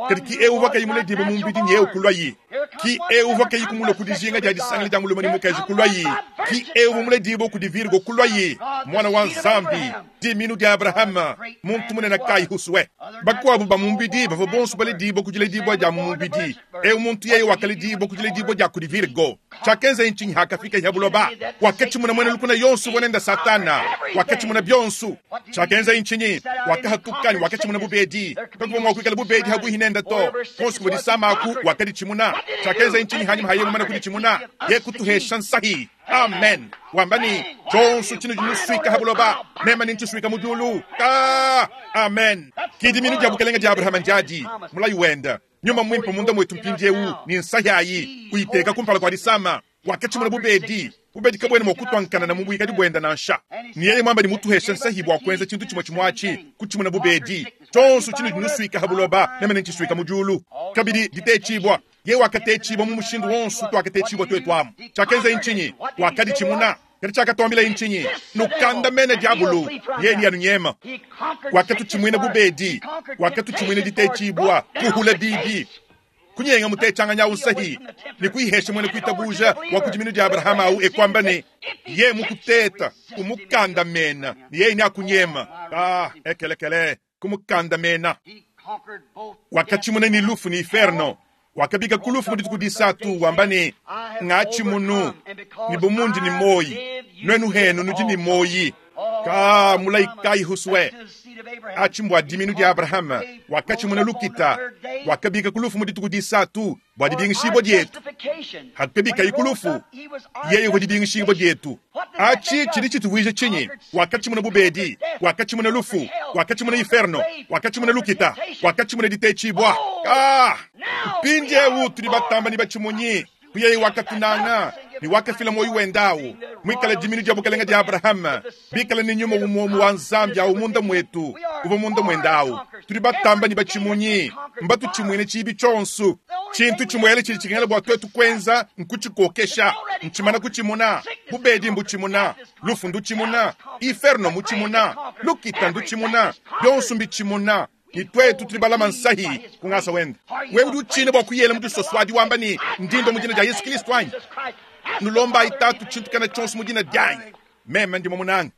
kadi ki eu uvua kayi muledibue mu mubidi nyeu kuluayi, ki eu uvua kayi kumulua ku dijinga dia disangila dia mulume ne mukaji kuluayi, ki eu uvua muledibue kudi Virgo kuluayi, Muana wa Nzambi, Dimiinu dia Abrahama, muntu munene kayi husue. Bakuabu ba mu mubidi bavua bonso baledibua ku diledibua dia mu mubidi. Eu muntu yeye wakaledibua ku diledibua dia kudi Virgo. Tshiakenzaye ntshinyi hakafikaye ha buloba? Wakatshimuna muena lukuna yonso uvua nende Satana. Wakatshimuna bionso. Tshiakenzaye ntshinyi? Wakahatuka ne wakatshimuna bu bubedi. Kakuvua mua kuikala bubedi pabuipi nende to. Kuonso kuvua disama aku, wakaditshimuna. Tshiakenzaye ntshinyi hanyima ha yeye mumane kuditshimuna? Yeye kutuhesha nsahi. Amen. Wamba ne, Tshionso tshinudi nusuika ha buloba, meme nentshisuika mu diulu. Ka! Amen. Ki diminu dia bukelenge dia Abrahama ndiadi, mulayi wende. Nyuma Muimpe munda muetu mpindieu, ne nsahi ayi, uyiteka kumpala kua disama. Wakatshimuna bubedi. Bubedi kabuena mua kutua nkanana mu buikadi buende nansha. Ne yeye muamba ne mutuheshe nsahi bua kuenza tshintu tshimue tshimue atshi, kutshimuna bubedi. Tshionso tshinudi nusuika ha buloba, meme nentshisuika mu diulu. Kabidi, ditetshibua. Yeye wakatetshibua mu mushindu wonso utuakatetshibua tuetu amu. Tshiakenzaye ntshinyi? Wakaditshimuna. Kadi tshiakatuambilaye ntshinyi? Nukandamene diabolo, yeye neanunyeme. Wakatutshimuina bubedi, wakatutshimuina ditetshibua, kuhula bibi, kunyenga mutetshianganyi au nsahi, ne kuyihesha muena kuitabuja wa ku diminu dia Abrahama au, e kuamba ne, Ye mukuteta, umukandamena, ne yeye neakunyema. Ah, ekelekele, kumukandamena. Wakatshimuna ne lufu ne inferno. Wakabika ku lufu mu dituku disatu, wamba ne, Ngatshimunu, ne bu mundi ne muoyi, nuenu henu nudi ne muoyi. Ka mulayi kayi husue? Atshi mbua diminu dia Abrahama, wakatshimuna lukita, wakabika ku lufu mu dituku disatu bua dibingishibua dietu. Hakabikaye ku lufu, yeye uvua dibingishibua dietu. Atshi tshidi tshituvuija tshinyi? Wakatshimuna bubedi, wakatshimuna lufu, wakatshimuna inferno, wakatshimuna lukita, wakatshimuna ditetshibua. Ah! Mpindieu tudi batamba ne batshimunyi. Ku yeye wakatunanga ne wakafila muoyo wende au, muikale diminu dia bukalenge dia Abrahama, bikale ne nyuma umue umue wa Nzambi au munda muetu, uvua munda muende au. Tudi batamba ne batshimunyi, mbatutshimuine tshiibi tshionso. Tshintu tshimuele tshidi tshikengela bua tuetu kuenza nkutshikokesha. Ntshimana kutshimuna. Bubedi mbutshimuna, lufu ndutshimuna, inferno mutshimuna, lukita ndutshimuna, bionso mbitshimuna. Ne tuetu tudi balama nsahi ku ngasa wende. Wewe udi utshina bua kuyela mu disoso adi wamba ne, Ndi ndua mu dina dia Yesu Kristo anyi? Nulombayi Tatu tshintu kana tshionso mu dina dianyi. Meme ndi mumunange.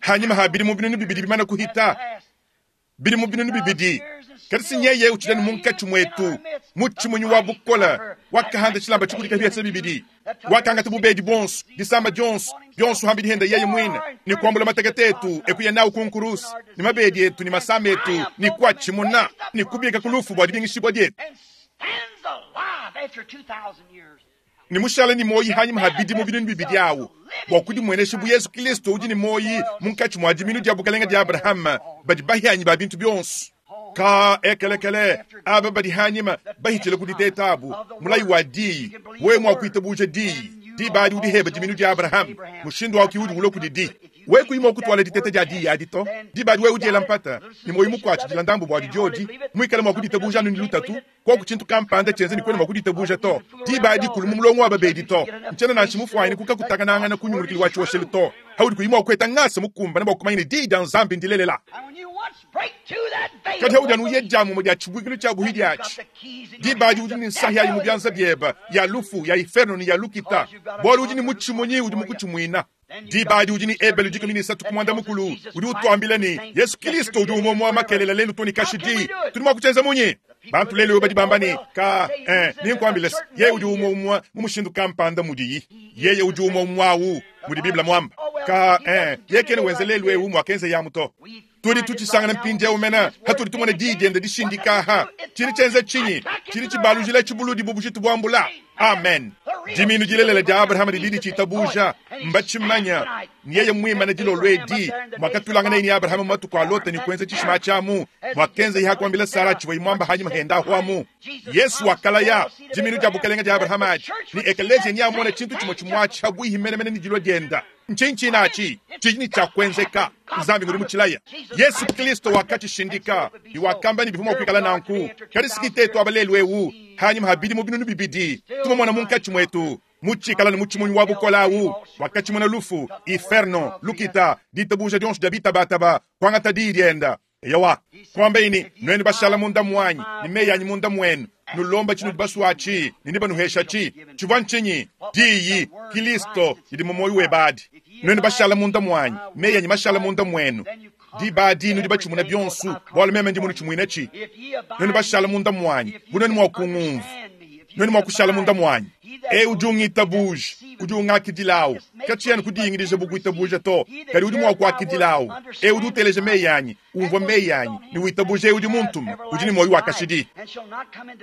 Hanyima ha bidimu binunu bibidi bimane kuhita, bidimu binunu bibidi, kadi si nyeye utshidi anu munkatshi muetu, mutshimunyi wa bukole, wakahanda tshilamba tshikudika biasa bibidi, wakangata bubedi buonso, disama dionso, bionso hambi dihenda yeye muine, ne kuambula matekete etu, e kuya nawu ku nkuruse, ne mabedi etu ne masama etu, ne kuatshimuna, ne kubika ku lufu bua dibingishibua dietu. Ne mushale ne muoyi hanyima ha bidimu binunu bibidi awu, bua kudimuenesha bu Yesu Kilisto udi ne muoyi munkatshi mua diminu dia bukelenge dia Abrahama, badi bahianyi ba bintu bionso. Ka ekelekele, aba badi hanyima bahitshile ku diteta abu, mulayi wa diyi, wewe mua kuitabuja diyi, diba adi udi heba diminu dia Abrahama, mushindu au ki udi ulua kudidi. Wewe kuyi mua kutuala diteta dia diyi adi to, diba adi wewe udiela mpata, ne muoyo mukuatshidila ndambu buadi diodi, muikale mua kuditabuja anu ne lutatu, Koku tshintu kampanda tshienza ne kuena mua kuditabuja to, diba adi kulu mu mulongo wa babedi to. Ntshiena nansha mufuanyine kukakutakanangana ku nyungulukilu wa tshioshelu to, paudi kuyi mua kueta ngasa mukumbane bua kumanya ne Diyi dia Nzambi ndilelela. Kadi paudi anu uya dia mumue dia tshibuikilu tshia buhidi atshi, diba adi udi ne nsahi ayi mu bianza biebe, ya lufu, ya iferno ne ya lukita, bualu udi ne mutshimunyi udi mukutshimuina. Diba adi udi ne Ebelu dikumi ne isatu ku muanda mukulu udi utuambila ne, Yesu Kilisto udi umue umue makelela lelu too ne kashidi. Tudi mua kutshienza munyi? Bantu lelu badi bamba ne, Ka, eh, nenkuambile se, yeye udi umue umue mu mushindu kampanda mudiyi. Yeye udi umue umue awu mudi Bible muamba. Ka, eh, yeye kena wenza lelu eu muakenzeye amu to. Tudi tutshisangana mpindieu mene hatudi tumona diyi diende dishindika aha. Tshidi tshienza tshinyi? Tshidi tshibalujila tshibuludi bu bujitu buambula. Amen. Dimiinu dilelela dia Abrahama didi ditshitabuja, mbatshimanya. Ne yeye muimane dilolo edi, muakatuilanganaye ne Abrahama mu matuku a Lota ne kuenza tshishima atshi amu muakenzeye ha kuambila Sara tshivuaye muamba hanyima henda ahu amu. Yesu wakalaya dimiinu dia bukelenge dia Abrahama adi, ne ekeleziya neamone tshintu tshimue tshimue atshi habuihi menemene ne dilua dienda. Ntshinyi tshine atshi tshidi ne tshia kuenzeka? Nzambi ngudi mutshilaya. Yesu Kristo wakatshishindika ne wakamba ne bivua mua kuikala nanku. Kadi si tuetu aba lelu eu, hanyima ha bidimu binunu bibidi, tumumona munkatshi muetu mutshikala ne mutshimunyi wa bukole au, wakatshimuna lufu, inferno, lukita, ditabuja dionso dia bitabataba, kuangata diyi dienda. Eyowa, kuambaye ne, Nuenu bashala munda muanyi, ne meyi anyi munda muenu, nulomba tshinudi basue atshi, ne nebanuheshatshi. Tshivua ntshinyi? Diyi, Kilisto, didi mu muoyo webe adi. Nuenu bashala munda muanyi, meyi anyi mashala munda muenu, diba adi nudi batshimuna bionso, bualu meme ndi munutshimuinatshi. Nuenu bashala munda muanyi, bu nuenu mua kungumvua. Nuenu mua kushala munda muanyi. Eu udi ungitabuja, udi ungakidilawu. Katshiena kudingidija bu kuitabuja to, kadi udi mua kuakidilawu. Eu udi uteleja meyi anyi, umvua meyi anyi, ne witabuja eu udi muntume, udi ne muoyo wa kashidi.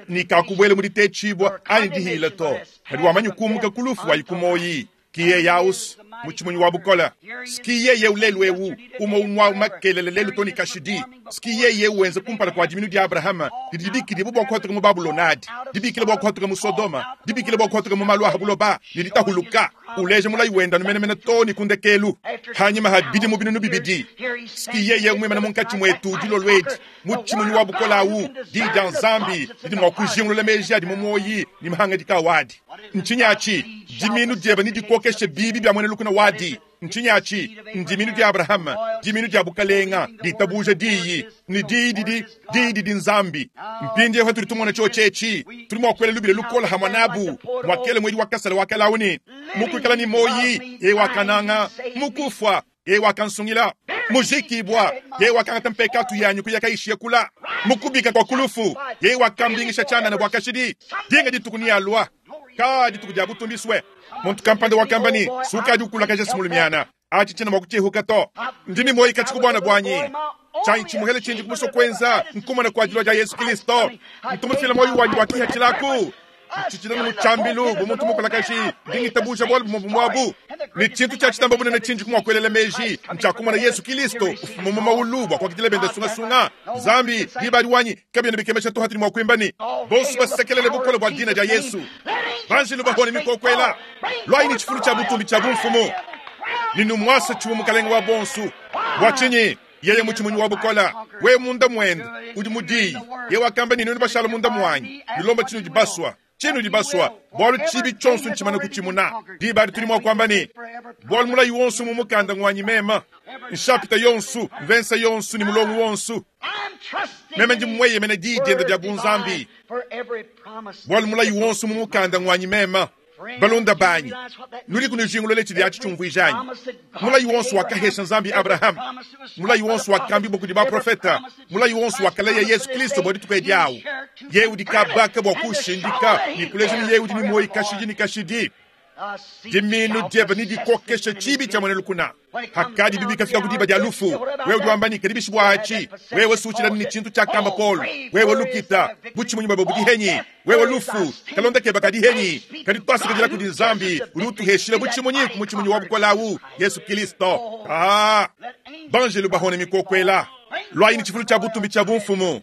Ne kakubuela mu ditetshibua anyi dihila to, kadi wamanyi kumuka ku lufu wayi ku muoyi. Ki yeye aus mutshimunyi wa bukole. Ski yeye lelu eu umue umue makelele lelu to ne kashidi. Ski yeye wenza kumpala kua diminu dia Abrahama didi dibikidibua bua kuhatuka mu Babulonadi, dibikila bua kuhatuka mu Sodoma, dibikila bua kuhatuka mu malu a buloba ne ditahuluka. Uleja mulayi wenda numenemene to ne ku ndekelu. Hanyima ha bidimu binunu bibidi, ski yeye muimana munkatshi muetu dilolo edi mutshimunyi wa bukole awu, diyi dia Nzambi didi mua kujingulula meji adi mu muoyi ne mahangadika awadi. Ntshinyi atshi? Diminu diebe nedikokeshe bibi bia muena lukuna wadi. Ntshinyi atshi? Ndiminu dia Abrahama, diminu dia bukalenga, ditabuja diyi, ne diyi didi diyi didi Nzambi. Mpindieu patudi tumona tshiotshi etshi, tudi mua kuela lubila lukola hamue nabu, muakele muedi wa kasala wa kalawu ne, Mukuikala ne muoyi, yeye wakananga, mukufua, yeye wakansungila, mujikibua, yeye wakangata mpekatu yanyi kuya kayishiye kula, mukubika kua kulufu, yeye wakambingisha tshianana bua kashidi. Dinga dituku nialua, ka dituku dia butumbiswe. Muntu kampanda wakamba ne, sukadi ukulakaja simulumiana atshi tshiena mua kutshiehuka to. Ndi ne muoyi katshi ku buana buanyi. Tshianyi tshimuhele tshindi kumusua kuenza nkumona kua dilua dia Yesu Kristo. Ntumufila muoyo wanyi wa kihatshilaku. Ntshitshila mu tshiambilu bu muntu mukulakaji, ndi ngitabuja bualu bumue bumuabu. Ne tshintu tshia tshitamba bunene tshindi kumua kuelela meji ntshia kumona Yesu Kristo ufuma mu maulu bua kuakidila bende sungasunga. Nzambi diba adi wanyi kabiena bikemesha to hatudi mua kuimba ne bonso basekelele bukole bua dina dia Yesu. Banjelu bahone mikokuela lwayi ne tshifulu tshia butumbi tshia bumfumu ne numuasa tshiwe mukalenge wa bonso. Bua tshinyi? Yeye mutshimunyi wa bukola, we munda muende udi mudiyi. Ye wakamba ne nenu bashala munda muanyi, nilomba tshinudi basua, tshinudi basua, bualu tshibi tshionso ntshimana kutshimuna. Diba adi tudi mua kuamba ne, bualu mulayi wonso mu mukanda ngwanyi mema, nshapita yonso, mvensa yonso ne mulongo wonso. Meme ndi mweyemena diyi diende dia bunzambi, bualu mulayi wonso mu mukanda ngwanyi mema. Balunda banyi, nudi kunujingulula tshidi atshi tshiumvuija anyi? Mulayi wonso wakahesha Nzambi Abrahama, mulayi wonso wakambibua kudi baprofeta, mulayi wonso wakalaya Yesu Kristo bua dituku edi awu. Yeye udi kabaka bua kushindika ne kuleja ne yeye udi ne muoyo kashidi ne kashidi. Diminu diebe nedikokeshe tshibi tshia muena lukuna. Hakadi bibi kafika ku diba dia lufu, wewe udi wamba ne kadi bishi bua atshi, wewe suutshila ne tshintu tshiakamba Paul, wewe lukita butshimunyi bwebe budi henyi, wewe lufu kalonda keba kadi henyi, kadi twasakidila kudi Nzambi udi utuheshila butshimunyi ku mutshimunyi wa bukole awu, Yesu Kristo. Banjelu bahone mikokuela lwayi ne tshifulu tshia butumbi tshia bumfumu,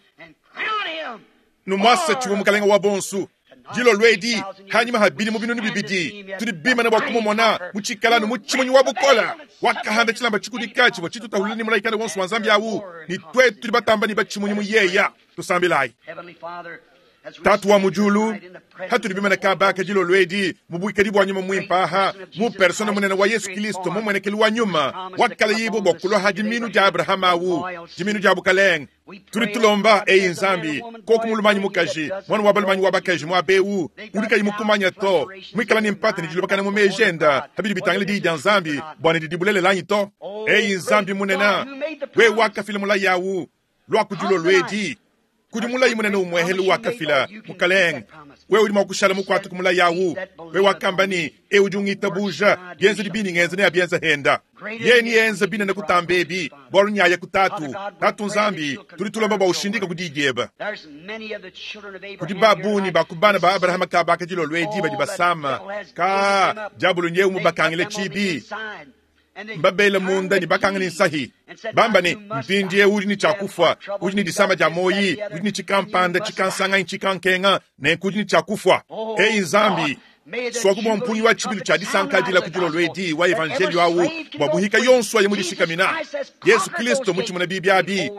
numuasa tshiwe mukalenge wa bonso. Dilolo edi hanyima ha bidimu binunu bibidi tudi bimana bua kumumona mu tshikalanu mu tshimunyi wa bukola wakahanda tshilamba tshikudika tshivua tshitutahulula ne mulayi kana wonso wa Nzambi awu, ne twetu tudi batamba ne batshimunyi mu yeya. Tusambilayi. Tatu wa mu diulu, hatudi bimana kabaka dilolo edi mu buikadi bua nyuma muimpe aha, mu persona munene wa Yesu Kristo mumuenekelu wa nyuma wakalayibo bua kulua ha diminu dia Abrahama awu, diminu dia bukalenge. Tudi tulomba eyi Nzambi koku mulumanyi mukaji, mwana wa balumanyi wa bakaji muabewu udi kayi mukumanya to, muikala ne mpata ne dilobakana mu meji enda habidi bitangila diyi dia Nzambi bua ne didi bulelela anyi to. Eyi Nzambi munene, wewe wakafila mulayi awu lua ku dilolo edi kudi mulayi munene umwehelu wakafila mukalenge, wewe udi mua kushala mukuate ku mulayi awu. Wewe wakamba ne ewu udi ungitabuja, bienzedi bini ngenza ne abienza henda. Yeye ni yenza binene kutamba ebi, bualu nyaya ku tatu. Tatu Nzambi, tudi tulomba bua ushindika ku diyi diebe. Kudi babungi ba ku bana ba Abrahama kabaka dilolo edi badi basama, ka diabolo nyewu mubakangile tshibi. Mbabele munda ne bakanga ne nsahi. Bamba ne, mpindieu udi ne tshia kufua, udi ne disama dia moyi, udi ne tshikampanda, tshikansanga, tshikankenga, nenku udi ne tshia kufua. Eyi Nzambi, swaku bua mpungi wa tshibilu tshia disankadila ku dilolo edi wa evangelio awu bua buhika yonso ayi mudishikamina. Yesu Kristo mutshimuna bibi abi.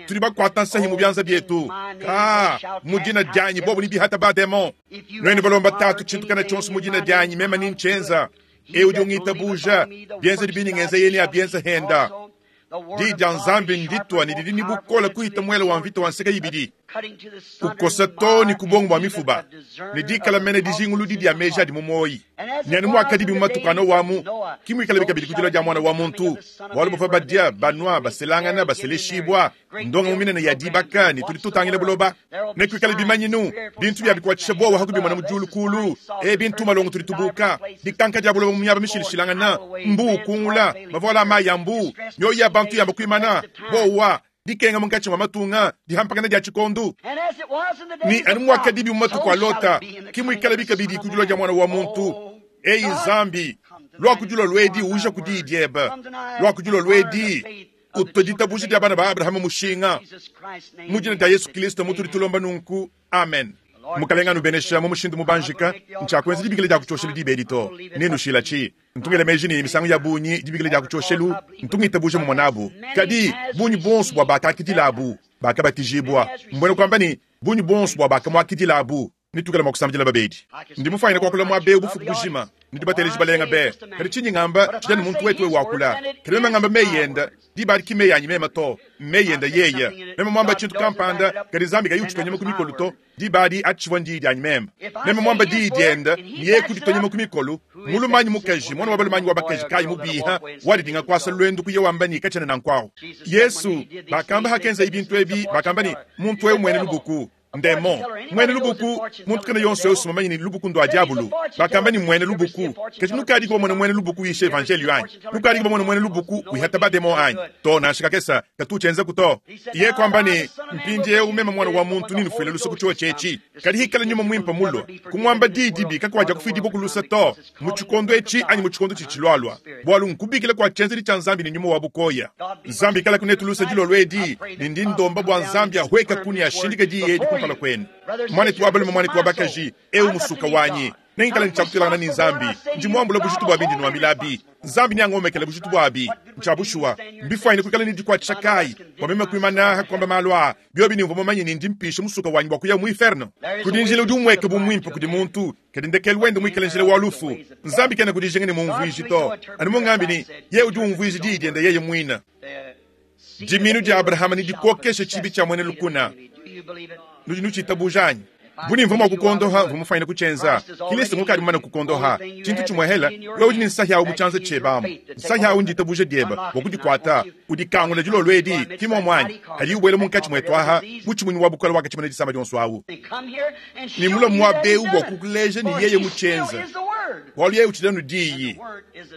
Tudi bakuata nsahi mu bianza bietu. Ka mu dina dianyi bobu ne bihata ba demon. Nuenu balomba tatu tshintu kana tshionso mu dina dianyi mema ni nchenza. Ewu udi ungitabuja, bienzedi bini ngenza yeye ne abienza henda. Diyi dia Nzambi nditwa ne didi ne bukole kuhita muele wa mvita wa nseke ibidi. Ukosa too ne ku buongo bua mifuba, ne dikala mene dijinguludi dia meji adi mu muoyi. Ne anu muakadibi mu matuku a Nowa amu, ki muikalabi kabidi ku dilua dia Muana wa muntu. Bualu bavua badia, banua, baselangana, baseleshibua, ndongamu minene ya dibaka, ne tudi tutangila buloba. Nekuikale bimanyinu, bintu bia bikuatshisha buowa ha kubimona mu diulu kulu, ebi ntumalongo tudi tubuka, dikanka dia buloba mu miaba mishilashilangana, mbuu ukungula, mavuala a mayi a mbuu, mioyo ya bantu yamba kuimana, buowa, dikenga munkatshi mua matunga, dihampakana dia tshikondu. Ne anu muakadibi mu matuku a Lota, ke muikalabi kabidi ku dilua dia Muana wa muntu. Eyi Nzambi, lua ku dilolo edi, uja ku diyi diebe. Lua ku dilolo edi, utue ditabuja dia bana ba Abrahama mushinga. Mu dina dia Yesu Kilisto mutudi tulomba nunku. Amen. Mukalenga anubenesha mu mushindu mubanjika. Ntshiakuenza dibikila dia ku tshioshelu diba edi to. Nenushilatshi. Ntu ngela meji ne, misangu ya bungi dibikila dia ku tshioshelu ntu ngitabuja mumue nabu. Kadi, bungi buonso bua bakakidilabu bakabatijibua, mbuena kuamba ne, bungi buonso bua bakamuakidilabu. Netuikale mua kusambidila babedi. Ndi mufuanyine kuakula muaba eu bufuku bujima. Nudi bateleji balenga be! Kadi tshindi ngamba tshidi anu muntu wetu eu wakula. Kadi meme ngamba meyi ende, diba adi ki mmeyi anyi meme to, mmeyi ende yeye. Meme muamba tshintu kampanda, kadi Nzambi kayi utshitua nyama ku mikolo to, Diba adi atshivua ndiyi dianyi meme. Meme muamba diyi diende, ne yeye kuditua nyama ku mikolu. Mulume anyi mukaji, muana wa balume anyi wa bakaji kayi mubiha, wadidinga kuasa luendu kuya wamba ne katshiena nanku awu. Yesu, bakamba hakenzaye bintu ebi, bakamba ne, Muntu eu muena lubuku, ndemon. Muena lubuku, muntu kena yonso eu mumanye ne lubuku ndua diabulu. Bakamba ne muena lubuku. Kadi nukadiku bamone muena lubuku uyisha evanjeliyo anyi? Nukadiku bamone muena lubuku wihata bademon anyi? To, nansha kakesa, katu utshienzaku to. Yeye kuamba ne, Mpindieu meme Muana wa muntu nenufuile luse ku tshiotshi etshi. Kadi hikala Nyuma Muimpe mulue kumuamba di dibi, kakuadiakufuidibua ku luse to, mu tshikondo etshi anyi mu tshikondo tshitshilualua, bualu nkubikila kua tshienzedi tshia Nzambi ne nyuma wa bukoya. Nzambi ikalaku netu luse dilolo edi, ne ndi ndomba bua Nzambi ahuekaku ne ashindike diyi edi kumpala kuenu. Muanetu wa balume, muanetu wa bakaji, eu musuka wanyi. Nengikale ne tshia kutuilangana ne Nzambi. Ndi muambula bujitu bua bindi nuambilabi. Nzambi neangomekele bujitu buabi. Ntshia bushuwa, mbifuanyine kuikala ne dikuatshisha kayi bua meme kuimana aha kuamba malu aa, biobi ne mvua mumanye ne ndi mpisha musuka wanyi bua kuya mu iferno? Kudi njila udi umueka bu muimpe kudi muntu, kadi ndekelu wende muikale njila wa lufu. Nzambi kenaku dijinga ne mumvuiji to, anu mungambi ne, yeye udi umvuija diyi diende yeye muine. Dimiinu dia Abrahama nedikokeshe tshibi tshia muena lukuna. Nudi nutshitabuja anyi? Bu ne mvua mua kukondoha, mvua mufuanyine kutshienza. Kilisto ngukadi mumane kukondoha. Tshintu tshimuehela, wewe udi ne nsahi awu mu tshianza tshiebe amu. Nsahi awu nditabuja diebe bua kudikuata. Udikangula dilolo edi, ki muomu anyi? Kadi ubuela munkatshi muetu aha, mutshimunyi wa bukole wakatshimuna disama dionso awu. Ne mulue muaba eu bua kukuleja ne yeye mutshienza, bualu yeye utshidi anu Diyi,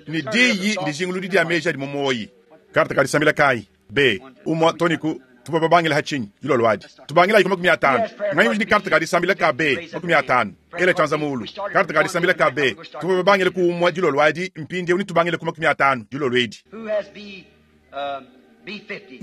ne Diyi ndijinguludi dia meji adi mu muoyi. Karte ka disambila kayi? B, umua to ne ku tuvua babangila ha tshinyi dilolo adi? Tubangilayi ku 50. Nganyi udi ne karte ka disambila ka B 50? Ela tshianza mulu. Karte ka disambila ka B, tuvua babangila ku umua dilolo adi, mpindieu netubangile ku 50 dilolo edi.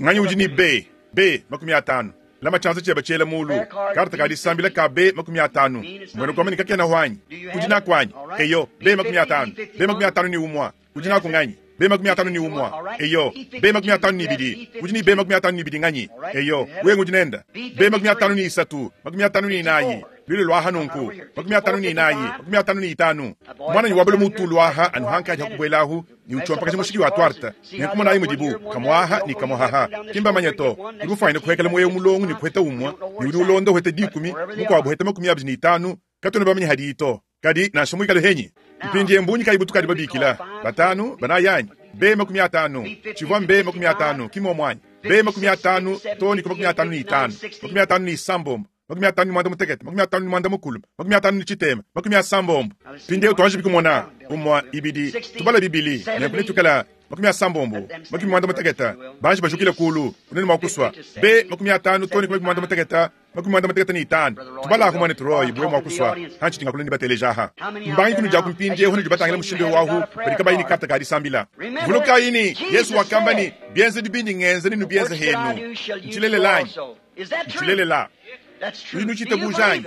Nganyi udi ne B, B 50? Lama tshianza tshiebe tshiela mulu. Karte ka disambila ka B 50. Mbuena kuamba ne kakenahu anyi? Udi naku anyi? Eyo, B 50, B 51. Udi naku nganyi? B 51. Eyo, B 52. Udi ne B 52 nganyi? Eyo, wewe ngudi nenda. B 53, 54. Lule luaha nunku, 54, 55. Muananyi wa balume utu uluaha anu hankadi ha kubuelahu ne utshiompakaja mushiki wa tuarte. Nenku monayi mudibu kamuaha ne kamuahaha. Ki mbamanye to. Udi mufuanyine kuhekela muoyo mulongo ne kuheta umue, ne udi ulonda uheta dikumi, mukuabu uheta 25. Katuena bamanye hadiyi to. Kadi nansha muikale henyi, mpindieu mbungi kayi butukadi babikila? Batanu, banayi anyi? B 50. Tshivua mB 50, ki muomu anyi? B 50 too ne ku 55, 56, 58, 51, 50, 60. Mpindieu tuanjibi kumona. Umua, ibidi, tubala bibili, nenku netuikala 60, 50. Banji bajukile kulu, unene mua kusua. B 50 too ne ku 50. 55. Tubalaku muanetu Roy buwe mua kusua hantshidi ngakula ne bateleja aha. Mbangi kunudi aku mpindiewu nudi batangila mushindu eu ahu badi kabayi ne karte ka disambila. Vulukayi ne, Yesu wakamba ne, Bienzedi bindi ngenza nenubienze henu. Ntshilelela anyi? Ntshilelela. Nudi nutshitabuja anyi?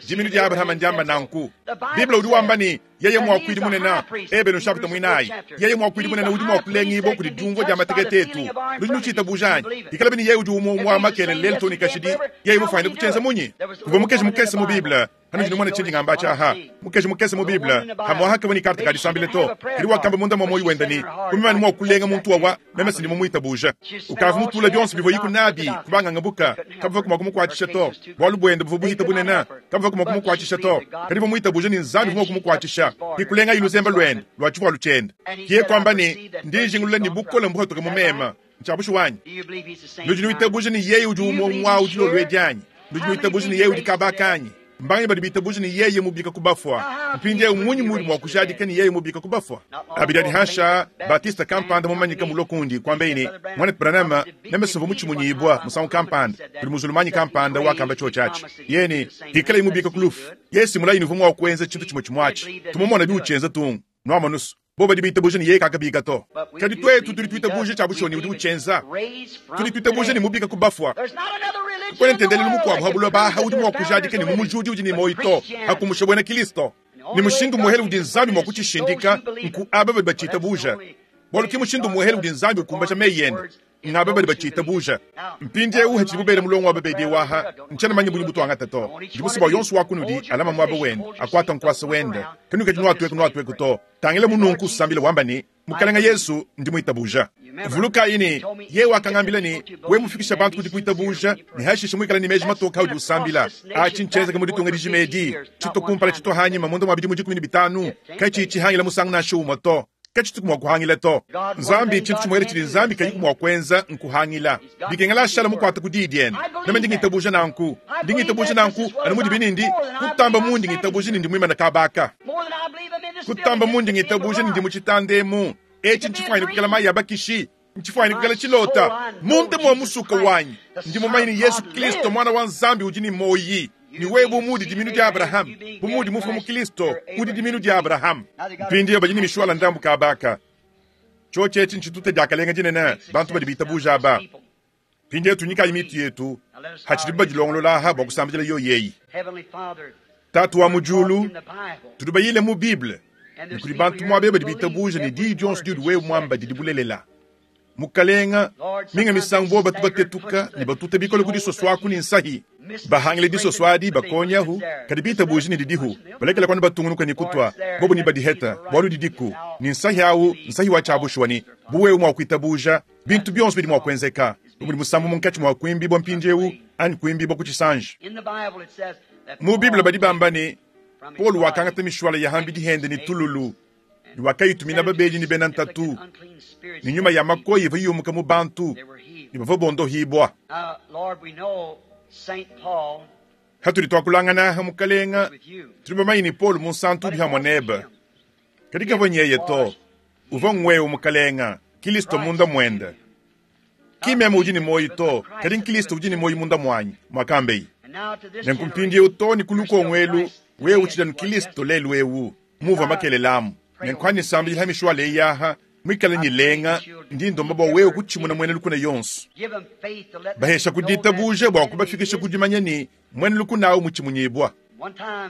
Diminu dia Abrahama ndiamba nanku. Bible udi wamba ne, Yeye muakuidi munene, Ebelu nshapita muinayi, yeye muakuidi munene udi mua kulengibua kudi diumvua dia matekete etu. Nudi nutshitabuja anyi? Ikalabi ne yeye udi umue umue wa makelela lelu too ne kashidi, yeye mufuanyine kutshienza munyi? Kuvua mukeji mukese mu Bible. Panudi numona tshindi ngamba atshi aha, mukaji mukese mu Bible, pamuapa kavua ne karte ka disambila to, kadi wakamba munda mua muoyo wende ne, Bu meme anu mua kulenga muntu wawa, meme si ndi mumuitabuja. Ukavua mutule bionso bivuayiku nabi ku bangangabuka, kabavuaku mua kumukuatshisha to. Bualu buende buvua buhite bunene, kabavuaku mua kumukuatshisha to. Kadi uvua muitabuja ne Nzambi uvua mua kumukuatshisha, ke kulengaye luzembe luende lua tshivualu tshiende. Ke yeye kuamba ne, Ndi njingulula ne bukole mbuhatuke mu meme. Ntshia bushuwa anyi? Nudi nuitabuja ne yeye udi umue umue au dilolo edi anyi? Nudi nuitabuja ne yeye udi kaba aka anyi? Mbanganyi badi bitabuja ne yeye mubika ku bafua? Mpindieu mmunyi muudi mua kujadika ne yeye mubika ku bafua? Abidi adi hanshi aa, Baptiste kampanda mumanyike mulue kundi, kuambaye ne, Muanetu Branham, meme simvua mutshimunyibua musangu kampanda kudi muzulumanyi kampanda wakamba tshiotshi atshi. Yeye ne, Hikalaye mubika ku lufu, yeye si mulayi ne uvua mua kuenza tshintu tshimue tshimue atshi. Tumumona biutshienza tung. Nuamonu's, bobo badi bitabuja ne yeye kakabika to. Kadi twetu tudi twitabuja cya bushuwa ne udi ucyenza. Tudi twitabuja ne mubika ku bafwa. Kakwena ntendelelu mukwabo ha buloba aha udi mwa kujadika ne mumujudi udi ne moyi to, ha kumusha bwena Kilisto. Ne mushindu umuehele udi Nzambi mwa kucishindika nku aba badi bacitabuja. Bwalu ki mushindu umuehele udi Nzambi ukumbaja meyi ende. Ngaba badi batshiitabuja. Mpindiewu hatshidibu bela mulongo wa babedi ewu aha, ntshiena manye bungi butuangata to. Ndi musue bua yonso wa kunudi alama muaba wende, akuata nkuasa wende. Kanuikadi nuatueku nuatueku to. Tangila mu nunku usambile wamba ne, Mukalenga Yesu, ndi muitabuja. Vulukayi ne, Yeye wakangambila ne, Wewe mufikisha bantu ku dikuitabuja, ne hashishe muikale ne meji matoke audi usambila. Atshi ntshienzeke mu ditunga dijima edi, tshitua kumpala tshitua hanyima munda mua bidimu 15, katshiyi tshihangila musangu nansha umue to. Katshituku mua kuhangila to. Nzambi, tshintu tshimuele tshidi Nzambi kayiku mua kuenza nkuhangila. Bikengela ashala mukuate ku Diyi diende. Meme ndi ngitabuja nanku. Ndi ngitabuja nanku anu mudibi ne ndi, kutamba mundi ngitabuja ne ndi muimane kaba aka. Kutamba mundi ngitabuja ne ndi mu tshitanda emu. Etshi ntshifuanyine kuikala mayi a bakishi. Ntshifuanyine kuikala tshilota. Munda mua musuka wanyi, ndi mumanye ne Yesu Kilisto Muana wa Nzambi udi ne muoyi. Ne wewe bu muudi diminu dia Abrahame, bu muudi mufue mu Kilisto, udi diminu dia Abrahame. Mpindieu badi ne mishuala ndambu kaba aka. Tshiotshi etshi ntshitute diakalenga dinene bantu badi bitabuja aba. Mpindieu tunyikayi mitu yetu hatshidibu badilongolola aha bua kusambidila yoyi eyi. Tatu wa mu diulu, tudi bayile mu Bible ne kudi bantu muaba eu badi bitabuja ne diyi dionso diudi wewe muamba didi bulelela. Mukalenga, minga misangu bobo batu batetuka ne batuta bikole ku disoso aku ne nsahi, bahangile disoso adi, bakonyahu, kadi bitabuji ne didihu, balekela kuanu batungunuka ne kutua, bobo ne badiheta, bualu didiku, ne nsahi au nsahi wa tshia bushuwa ne, bu wewe mua kuitabuja, bintu bionso bidi mua kuenzeka. Bu mudi musambu munkatshi mua kuimbibua mpindieu anyi kuimbibua ku tshisanji. Mu Bible badi bamba ne, Paulo wakangata mishuala ya hambidi hende ne tululu, ne wakayitumina babedi ne bena ntatu, ne nyuma ya makoyi ivua yumuka mu bantu, ne bavua bondohibua. Hatudi tuakulangana aha, Mukalenga, tudi bamanye ne Paulo Munsantu udi hamue nebe. Kadi kavua nyeye to, uvua nguewe, Mukalenga, Kilisto munda muende. Ki meme udi ne muoyo to, kadi n'Kilisto udi ne muoyo munda muanyi, muakambeye. Nenku mpindieu too ne ku lukongo elu, wewe utshidi anu Kilisto lelu eu, muvua makelela amu. Nenku anyi nsambidila ha mishuala eyi aha, muikale ne lenga, ndi ndomba bua wewe kutshimuna muena lukuna yonso. Bahesha ku ditabuja bua kubafikisha ku dimanya ne, muena lukuna au mutshimunyibua.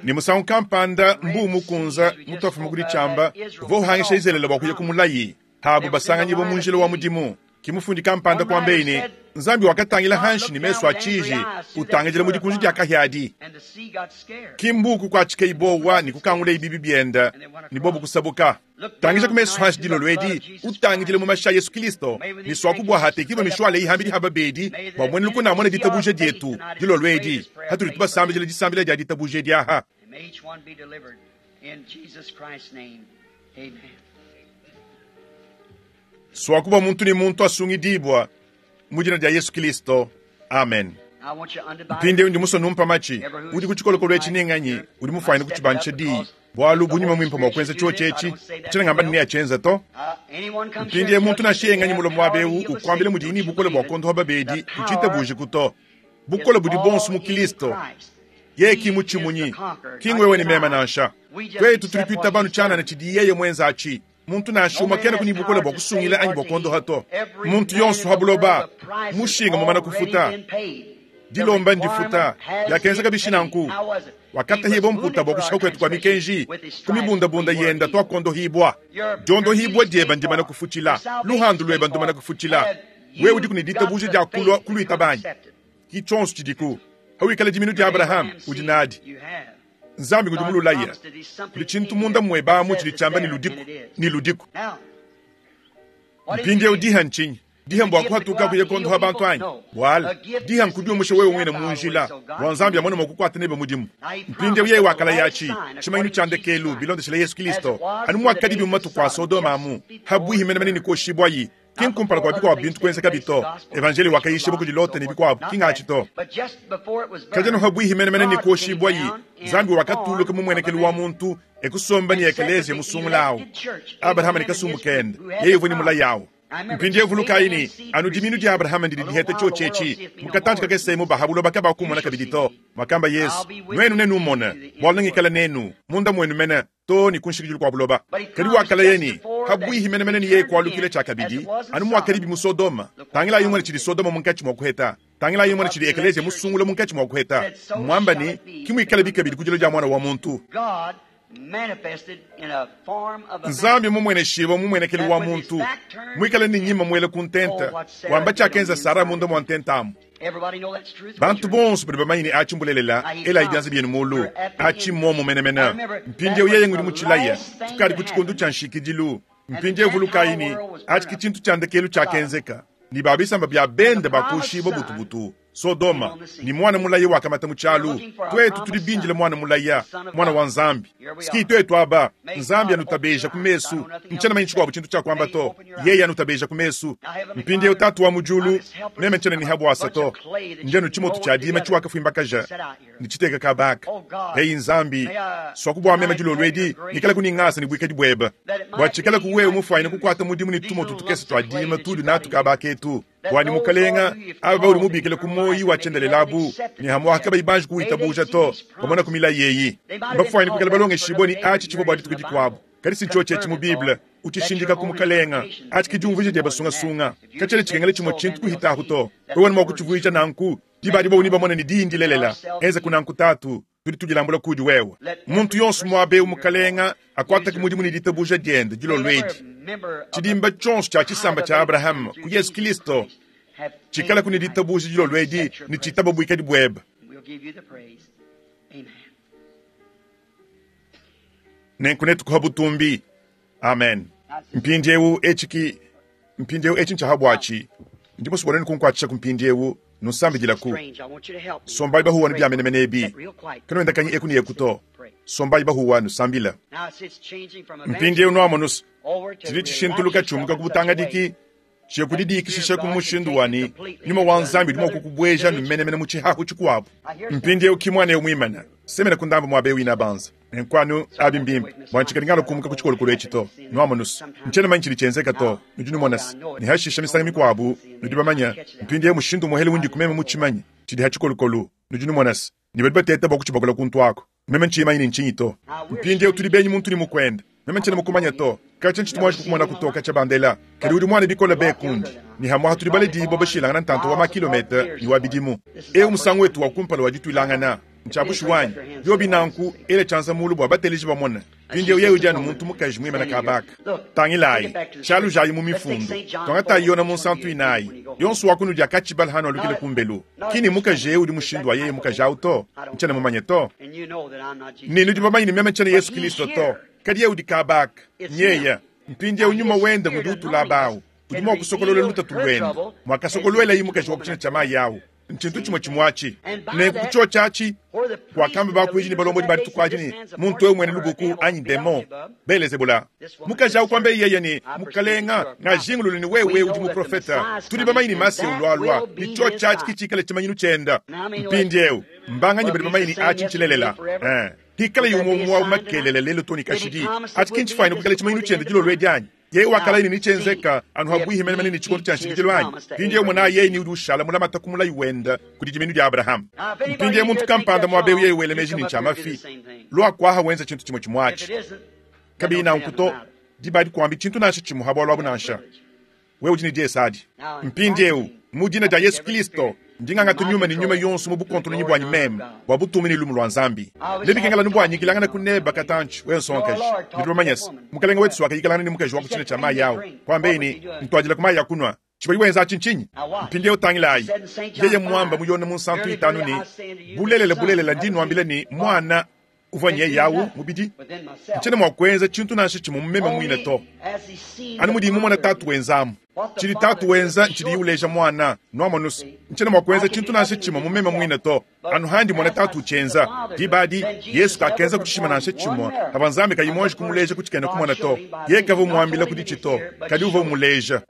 Ne musangu kampanda mbuu mukunza mutuafuma ku ditshiamba uvua uhangisha Izalele bua kuya ku mulayi, habu basanganyibua mu njila wa mudimu. Ke mufundi kampanda kuambeye ne, Nzambi wakatangila hanshi ne mesu a tshiji, utangidila mu dikunji dia kahia adi. Ki mbuu kukuatshikayi buowa ne kukangulayi bibi biende, ne bobu kusabuka. Tangija ku mesu hanshi dilolo edi, utangidile mu mashi a Yesu Kilisto, ne suaku bua hatekibue mishuala eyi hambidi ha babedi, bua muena lukuna amone ditabuja dietu dilolo edi, hatudi tubasambidila disambila dia ditabuja edi aha. Suaku bua muntu ne muntu asungidibua mu dina dia Yesu Kilisto. Amen. Mpindieu ndi musue numpa matshi. Udi ku tshikolokolo etshi ne nganyi udi mufuanyine kutshibandisha diyi? Bualu bu nyuma muimpe mua kuenza tshiotshi etshi, ntshiena ngamba ne neatshienze to. Mpindieu muntu nansha yeye nganyi mulue muaba eu ukuambila mudiye ne bukole bua kuondopa babedi, kutshitabujiku to. Bukole budi buonso mu Kilisto. Yeye ki mutshimunyi, ki ngwewe ne meme nansha. Tuetu tudi tuitaba anu tshianana tshidi yeye muenze atshi. Muntu nansha umue kenaku ne bukole bua kusungila anyi bua kuondoha to. Muntu yonso ha buloba, mushinga mumana kufuta. Dilomba ndifuta. Biakenzeka bishi nanku? Wakatahibua mputa bua kushiha kuetu kua mikenji, ku mibundabunda yenda tuakuondohibua. Diondohibua dieba ndimana kufutshila, luhandu lueba ndumana kufutshila. Wewe udiku ne ditabuja dia kulua kuluitaba anyi? Ki tshionso tshidiku. Hawikala diminu dia Abrahama, udi nadi. Nzambi ngudi mululaye. Kudi tshintu munda muebe amu tshidi tshiamba ne ludiku, ne ludiku. Mpindieu diha ntshinyi? Diha mbua kuhatuka kuya kuondoha bantu anyi? Buala, diha nkudiumusha wewe muine mu njila, bua Nzambi amone mua kukuata nebe mudimu. Mpindieu yeye wakalaya atshi, tshimanyinu tshia ndekelu, bilondeshile Yesu Kilisto, anu muakadibi mu matuku a Sodoma amu, habuihi menemene ne kuoshibuayi, ki nkumpala kua bikuabu bintu kuenzekabi to. Evanjeliyo wakayishibua kudi Lota ne bikuabu, ki ngatshi to. Kadi anu habuihi menemene ne kuoshibuayi, Nzambi wakatuluka mu muenekelu wa muntu, e kusomba ne ekeleziya musungula awu, Abrahama ne kasumbu kende, yeye uvua ne mulayi awu. Mpindieu vulukayi ne, anu dimiinu dia Abrahama ndidi diheta tshiotshi etshi. Mu katantshi kakese emu ba ha buloba kabakumona kabidi to, muakamba Yesu. Nuenu nenumone, bualu nengikale nenu, munda muenu mene, too ne ku nshikidilu kua buloba. Kadi wakalaya ne, habuihi menemene ne yeye kualukila tshiakabidi, anu muakadibi mu Sodoma. Tangilayi numone tshidi Sodoma munkatshi mua kuheta. Tangilayi numone tshidi ekeleziya musungula munkatshi mua kuheta. Mmuamba ne, Ke muikalabi kabidi ku dilua dia Muana wa muntu. Nzambi mumueneshibue mu mmuenekelu wa muntu, muikale ne nyima muela ku ntenta, wamba tshiakenza Sara munda mua ntenta amu. Bantu bonso badi bamanye ne atshi mbulelela, elayi bianza bienu mulu. Atshi mmuomu menemene. Mpindieu yeye ngudi mutshilaya. Tukadi ku tshikondo tshia nshikidilu. Mpindieu vulukayi ne, atshi ke tshintu tshia ndekelu tshiakenzeka, ne ba bisamba bia bende bakoshibua butubutu. Sodoma, ne muana mulaya wakamata mu tshialu. Tuetu tudi bindile muana mulaya, muana wa Nzambi. Ski tuetu aba, Nzambi anutabeja ku mesu. Ntshiena manye tshikuabu tshintu tshia kuamba to. Yeye anutabeja ku mesu. Mpindieu Tatu wa mu diulu, meme ntshiena ne habuasa to. Ndi anu tshimotu tshia dima tshiwakafuimbakaja ne tshiteka kaba aka. Eyi Nzambi, suaku bua meme dilolo edi ngikalaku ne ngasa ne buikadi buebe, bua tshikalaku wewe mufuanyine kukuata mudimu ne tumotu tukese tua dima tudi natu kaba aketu. Bua ne Mukalenga, aba baudi mubikile ku muoyi wa tshiendelele abu, ne hamuaha kabayi banji kuwitabuja to, bamona ku milayi eyi. Mbafuanyine kuikala balongeshibue ne atshi tshivua bua dituku dikuabu, kadi si ntshiotshi etshi mu Bible. Utshishindika ku Mukalenga. Atshi ke diumvuija diebe sungasunga. Katshiena tshikengela tshimue tshintu kuhitahu to. Wewe mua kutshivuija nanku, diba adi bobu nebamone ne diyi ndilelela. Enzaku nanku, Tatu. Tudi tudilambula kudi wewe. Muntu yonso muaba eu, Mukalenga, akuatake mudimu ne ditabuja diende dilolo edi. Tshidimba tshionso tshia tshisamba tshia Abrahama ku Yesu Kilisto tshikalaku ne ditabuja dilolo edi ne tshitaba buikadi buebe. Nenku netukuha butumbi. Amen. Mpindieu etshi ki mpindieu etshi ntshia ha buatshi. Ndi musue bua nuenu kunkuatshisha ku mpindieu, nunsambidilaku. Sombayi bahuwa ne bia menemene ebi, kanuendakanyi eku ne eku to. Sombayi bahuwa nusambila. Mpindieu nuamonu tshidi tshishintuluka tshiumuka ku butangadiki tshiye ku didikishisha ku mushindu wa ne nyuma wa Nzambi udi mua kukubueja menemene mu tshihahu tshikuabu. Mpindieu ki muana eu muimane, semena ku ndambu muaba eu inabanza. Nenku anu abi mbimpe bua ntshikadi ngala kumuka ku tshikolokolo etshi to. Nuamonus, ntshiena manya tshidi tshienzeka to. Nudi numona se, ne hashisha misangu mikuabu nudi bamanya mpindieu mushindu umuehele undi ku meme mutshimanye tshidi ha tshikolokolo. Nudi numona se, ne badi bateta bua kutshibakola kuntu aku. Meme ntshiyi manye ne ntshinyi to. Mpindieu tudi benyi muntu ne mukuende. Meme ntshiena mukumanya to. Katshia ntshitu muanji kukumonaku to katshia bandela. Kadi udi muana bikole be kundi. Ne hamuaha tudi baledibua bashilangana ntanta wa ma-kilometa ne wa bidimu. Eu musangu wetu wa kumpala wa dituilangana. Ntshia bushuwa anyi? Biobi nanku, ela tshianza mulu bua bateleji bamone. Mpindieu yeye udi anu muntu mukaji muimane kaba aka. Tangilayi, tshialujayi mu Mifundu. Tuangatayi Yona Munsantu inayi. Yonso wa kunudi akatshibala hanualukila kumbelu. Ki ne mukaji eu udi mushindu wa yeye mukaji au to. Ntshiena mumanye to. Ne nudi bamanye ne meme ntshiena Yesu Kilisto to. Kadi yeye udi kaba aka. Nyeye. Mpindieu nyuma wende ngudi utulaba au. Udi mua kusokolola lutatu luende, muakasokoluelayi mukaji wa ku tshina tshia mayi au. Ntshintu tshimue tshimue atshi. Nenku ku tshiotshi atshi, kuakamba bakuidi ne balombodi ba dituku adi ne, Muntu eu muena lubuku anyi demon, Belezebula. Mukaji au kuambaye yeye ne, Mukalenga, ngajingulula ne wewe udi muprofete. Tudi bamanye ne Masiya ulualua, ne tshiotshi atshi ke tshikale tshimanyinu tshiende. Mpindieu, mbanganyi badi bamanye ne atshi ntshilelela? Ee, pikalaye umue umue wa makelela lelu too ne kashidi, atshi ki ntshifuanyine kuikala tshimanyinu tshiende dilolo edi anyi? Yeye wakalaya ne netshienzeka anu habuihi menemene ne tshikondo tshia nshikidilu anyi? Mpindieu monayi yeye ne udi ushala mulamate ku mulayi wende kudi dimiinu dia Abrahama. Mpindieu muntu kampanda muaba eu yeye wela meji ne ntshia mafi, lua kuaha wenza tshintu tshimue tshimue atshi. Kabiyi nanku to, diba adi kuambi tshintu nansha tshimue ha bualu abu nansha. Wewe udi ne diesa adi. Mpindieu, mu dina dia Yesu Kilisto, ndi ngangata nyuma ne nyuma yonso mu bukontononyi buanyi meme, bua butumbi ne lumu lua Nzambi. Nebikengela anu bua nyikilangana ku neba katantshi, wewe nsongakaji. Nudi bamanye se, Mukalenge wetu wakayikilangana ne mukaji wa ku tshina tshia mayi au, kuambaye ne, Ntuadilaku mayi a kunua. Tshivuaye wenza atshi ntshinyi? Mpindieu tangilayi, yeye muamba mu Yone Munsantu itanu ne, Bulelela, bulelela, ndi nnuambila ne, Muana. Uvua nyeye awu mubidi. Ntshiena mua kuenza tshintu nansha tshimue mu meme muine to. Anu mudiyi mumone Tatu wenzamu. Tshidi Tatu wenza ntshidiye uleja Muana. Nuamonu's? Ntshiena mua kuenza tshintu nansha tshimue mu meme muine to. Anu handi mmona Tatu utshienza. Diba adi, Yesu kakenza ku tshishima nansha tshimue pavua Nzambi kayi muanji kumuleja ku tshikena kumona to. Yeye kavua umuambila ku ditshi to, kadi uvua umuleja.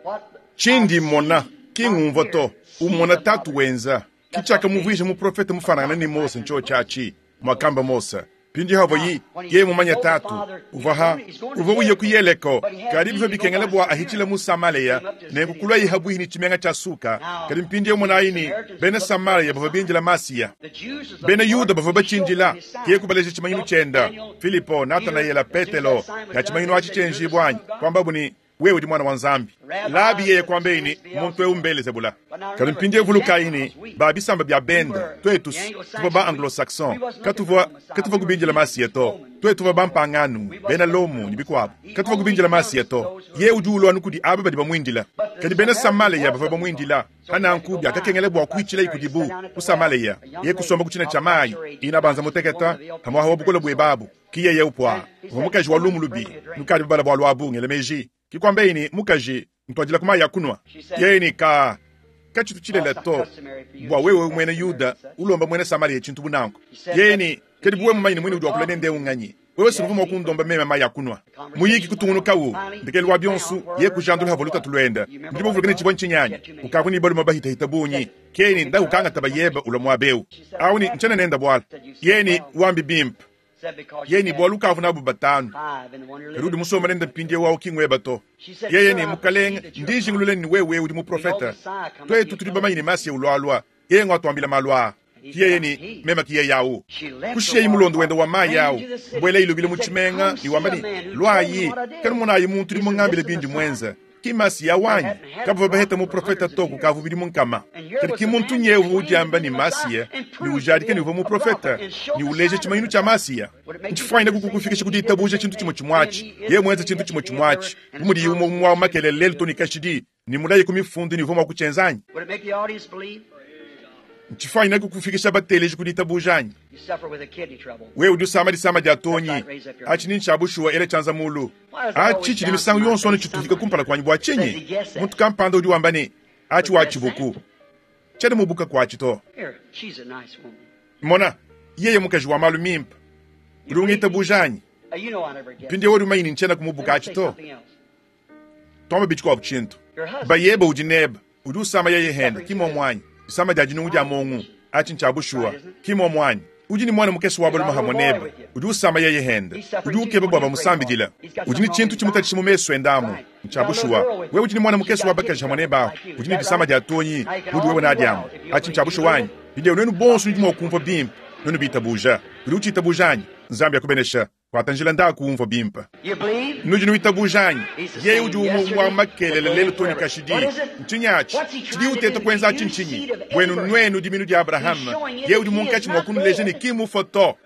Tshindi mmona, ki ngumvua to. Umona Tatu wenza. Ki tshiakamuvuija muprofete mufuanangane ne Mose ntshiotshi atshi, muakamba Mose. Mpindieu avua yi, yeye mumanye Tatu, uvua ha, uvua uya ku Yeleko, kadi bivua bikengela bua ahitshile mu Samalea, nenku kuluaye habuihi ne tshimenga tshia Suka. Kadi mpindieu monayi ne, bena Samalea bavua bindila Masiya. Bena Yuda bavua batshindila, yeye kubaleja tshimanyinu tshienda. Filipo, Natanayela, Petelo, ya tshimanyinu atshi tshienjibua anyi? Kuambabu ne, Wewe udi Muana wa Nzambi. Labi yeye kuambeyi ne, Muntu eu m'Belezebula. Kadi mpindieu vulukayi ne, ba bisamba bia bende, tuetu's tuvua ba Anglo-Saxon, katuvua, katuvua kubindila Masiya to. Tuetu tuvua bampanganu, bena Lomo, ne bikuabu. Katuvua kubindila Masiya to. Yeye udi ulua anu kudi aba badi bamuindila. Kadi bena Samaleya bavua bamuindila. Pa nanku biakakengela bua kuitshilayi kudibu ku Samaleya. Yeye kusomba ku tshina tshia mayi, inabanza muteketa, pamuapa wa bukole buebe abu. Ki yeye upua. Uvua mukaji wa lumu lubi. Nukadi babala bualu abu, ngela meji. Ki kuambeyi ne, Mukaji, ntuadilaku mayi a kunua. Yeye ne, Kaa, katshitu tshilela to, bua wewe muena Yuda ulomba muena Samariya tshintu bu nanku. Yeye ne, Kadi bu wewe mumanye ne muine udi wakula nende eu nnganyi, wewe si uvua mua kundomba meme mayi a kunua. Muyiki kutungunukawu. Ndekelu wa bionso, yeye kujandula havua lutatu luende. Nudi bavuluke ne tshivua ntshinyi anyi? Ukavua ne balume bahitahita bungi. Yeye ne, Ndaku kangata bayebe ulua muaba eu. Au ne, Ntshiena nende bualu. Yeye ne, Wambi bimpe. Yeye ne, Bualu ukavua nabu batanu, kadi udi musombe nende mpindieu au ki ngueba to. Yeye ne, Mukalenge, ndi njingulula ne, wewe udi muprofete. Tuetu tudi bamanye ne, Masiya ulualua, yeye nguatuambila malu aa. Ki yeye ne, Meme ki yeye au. Kushiyayi mulondo wende wa mayi au, buelayi lubila mu tshimenga ne wamba ne, Luayi, kanumonayi muntu udi mungambile bindi muenze. Ki Masiya wanyi? Kabavua baheta muprofete to kukavua bidimu nkama. Kadi ki muntu nyewu uvua udiamba ne Masiya ne ujadika ne uvua muprofete ne uleja tshimanyinu tshia Masiya. Ntshifuanyine kukufikisha ku ditabuja tshintu tshimue tshimue atshi. Yeye muenze tshintu tshimue tshimue atshi, bu mudiye umue umue wa makelela lelu too ne kashidi, ne mulaye ku Mifundu ne uvua mua kutshienza anyi? Ntshifuanyine kukufikisha bateleji ku ditabuja anyi? Wewe udi usama disama dia tuonyi, atshi ni ntshia bushuwa, ela tshianza mulu. Atshi tshidi misangu yonso anu tshituhika kumpala kuanyi bua tshinyi? Muntu kampanda udi wamba ne, Atshi watshibuku. Tshiena mubuka kuatshi to. Mona, yeye mukaji wa malu mimpe. Udi ungitabuja anyi? Mpindieu udi mumanye ne ntshiena kumubuka atshi to. Tuamba bitshikuabu tshintu. Bayebe udi nebe, udi usama yeye hende, ki muomu anyi? Disama dia dinungu dia mongu. Atshi ntshia bushuwa, ki muomu anyi? Udi ne muana mukese wa balume hamue nebe, udi usama yeye hende. Udi ukeba bua bamusambidile. Udi ne tshintu tshimutatshisha mu mesu ende amu. Ntshia bushuwa. Wewe udi ne muana mukese wa bakaji hamue nebe ahu, udi ne disama dia tuonyi, mudi wewe nadi amu. Atshi ntshia bushuwa anyi? Mpindieu nuenu bonso nudi mua kumvua bimpe, nuenu bitabuja. Udi utshitabuja anyi? Nzambi akubenesha. Kuata njila ndaku umvua bimpe. Nudi nuitabuja anyi? Yeye udi umue umue wa makelela lelu too ne kashidi. Ntshinyi atshi? Tshidiye uteta kuenza atshi ntshinyi? Buenu nuenu diminu dia Abrahama, yeye udi munkatshi mua kunuleja ne ki mmufue to.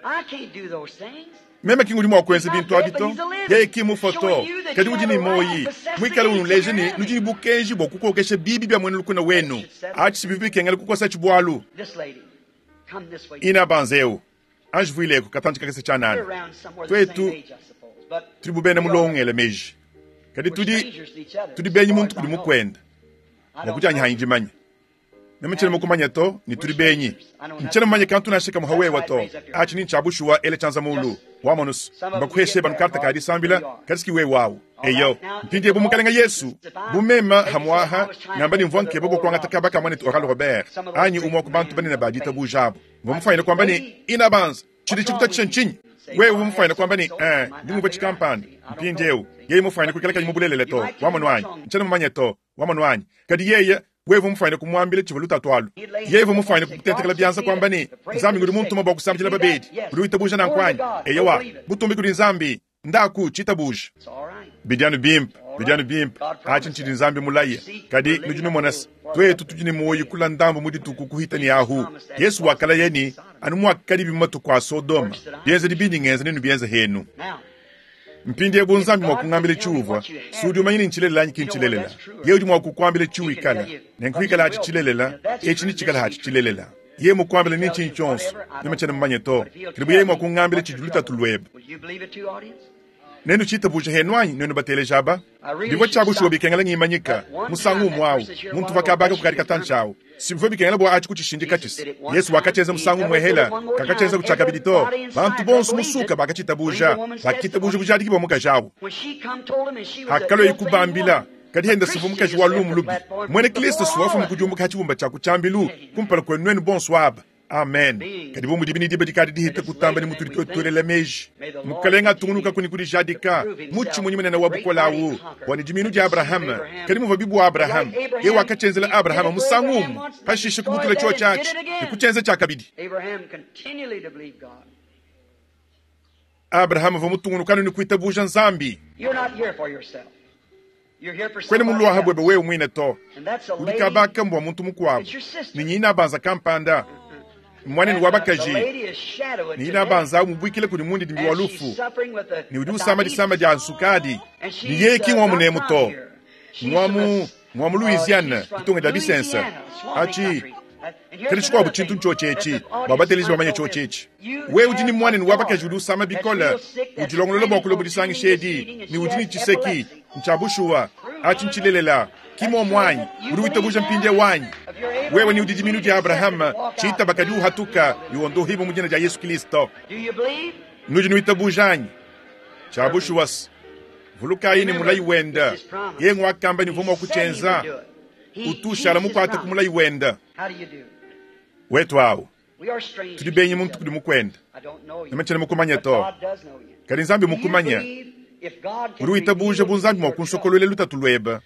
Meme ki ngudi mua kuenza bintu abi to. Yeye ki mmufue to, kadi udi ne muoyi, muikale unuleja ne nudi ne bukenji bua kukokesha biibi bia muena lukuna wenu. Atshi si bivua bikengela kukosatshi bualu. Inabanza eu. Anji vuileku katantshi kakese tshianana. Tuetu tudi bu bena mulongo ngela meji, kadi tudi tudi benyi muntu kudi mukuende. Mua kudianyi hanyi dimanya. Meme tshiena mukumanya to, ne tudi benyi. Ntshiena mumanye kantu nansha kamue ha wewa to. Atshi ni ntshia bushuwa, ela tshianza mulu. Wamonus, mbakuheshe banu karte ka disambila, kadi si wewe awu. Eyo, mpindieu bu Mukalenge Yesu, bu meme hamuaha ngamba ne mvua nkeba bua kuangata kaba ka muanetu Oral Robert anyi umue wa ku bantu banene ba ditabuja abu, Mvua mufuanyine kuamba ne, Inabanza, tshidi tshikutatshisha ntshinyi? Wewe uvua mufuanyine kuamba ne, Ee, ndi ngumvua tshikampanda. Mpindieu, yeye mufuanyine kuikala kayi mu bulelela to, wamonu anyi? Ntshiena mumanye to, wamonu anyi? Kadi yeye, wewe uvua mufuanyine kumuambila tshivua lutatu alu. Yeye uvua mufuanyine kukutentekela bianza, kuamba ne, Nzambi ngudi muntuma bua kusambidila babedi. Udi witabuja nanku anyi? Eyowa. Butumbi kudi Nzambi! Ndaku, tshitabuje. Bidi anu bimpe, bidi anu bimpe. Atshi ntshidi Nzambi mulaye. Kadi nudi numona se, tuetu tudi ne muoyo kula ndambu mu dituku kuhita ne ahu. Yesu wakalaya ne, Anu muakadibi mu matuku a Sodoma, bienzedi bindi ngenza nenubienze henu. Mpindieu bu Nzambi mua kungambila tshiuvua, si udi umanya ne ntshilelela anyi ki ntshilelela. Yeye udi mua kukuambila tshiwikala, nenku hikalatshi tshilelela, etshi netshikale hatshi tshilelela. Yeye mukuambile ni ntshinyi tshionso, meme tshiena mumanye to. Kadi bu yeye mua kungambila tshidi lutatu luebe, nenutshitabuje henu anyi, nuenu bateleji aba? Bivua tshia bushuwa bikengela ngimanyika musangu umue au, muntu uvua kabaka kukadi katantshi au. Si bivua bikengela bua atshi kutshishindika tshisa. Yesu wakatshienza musangu umue hela, kakatshienza kutshiakabidi to. Bantu bonso musuka bakatshitabuja, bakitabuja bujadiki bua mukaji au. Hakalua kubambila, kadi henda sivua mukaji wa lumu lubi. Muena Kristo si wafuma kudiumbuka ha tshibumba tshia ku tshiambilu kumpala kuenu nuenu bonso aba. Amen. Kadi bu mudibi ne diba dikadi dihita kutamba ne mutudi tuetu meji, Mukalenga atungunuka kuni kudijadika mutshimunyi munene wa bukole awu bua ne dimiinu dia Abrahama. Kadi muvua bibu Abrahama, yeye wakatshenzela Abrahama musangu umue, pashishe kubutula tshiotshi atshi ne kutshienza tshiakabidi. Abrahama uvua mutungunukanu ne kuitabuja Nzambi. Kwena muluaha buebe wewe muine to, udi kabaka mbua muntu mukuabu ne nyina banza kampanda mwanenu wa bakaji ne ina banza mubuikile kudi mundidimbi wa lufu ne udi usama disama dia nsukadi ne yeye ki ng'wa munemu to, ng'wa mu ng'wa mu Louisiana, ditunga dia bisensa atshi. Kadi tshikuabu tshintu ntshiotshi etshi, bua bateleji bamanye tshiotshi etshi. Wewe udi ne muanenu wa bakaji udi usama bikole, udilongolola bua kulua mu disangisha edi, ne udi ne tshiseki. Ntshia bushuwa, atshi ntshilelela. Ki muomu anyi? Udi witabuja mpindieu anyi? Wewe ni udi dimiinu dia Abrahama, tshitaba kadi uhatuka ne wondohibua mu dina dia Yesu Kristo. Nudi nuitabuja anyi? Tshia bushuwa se, vulukayi ne mulayi wenda, yeye nguakamba ne uvua mua kutshienza, utu ushala mukuate ku mulayi wenda. Wetu awu, tudi benyi muntu kudi mukuende, meme tshiena mukumanye to, kadi Nzambi mmukumanye. Udi witabuja bu Nzambi mua kunsokoluela lutatu luebe,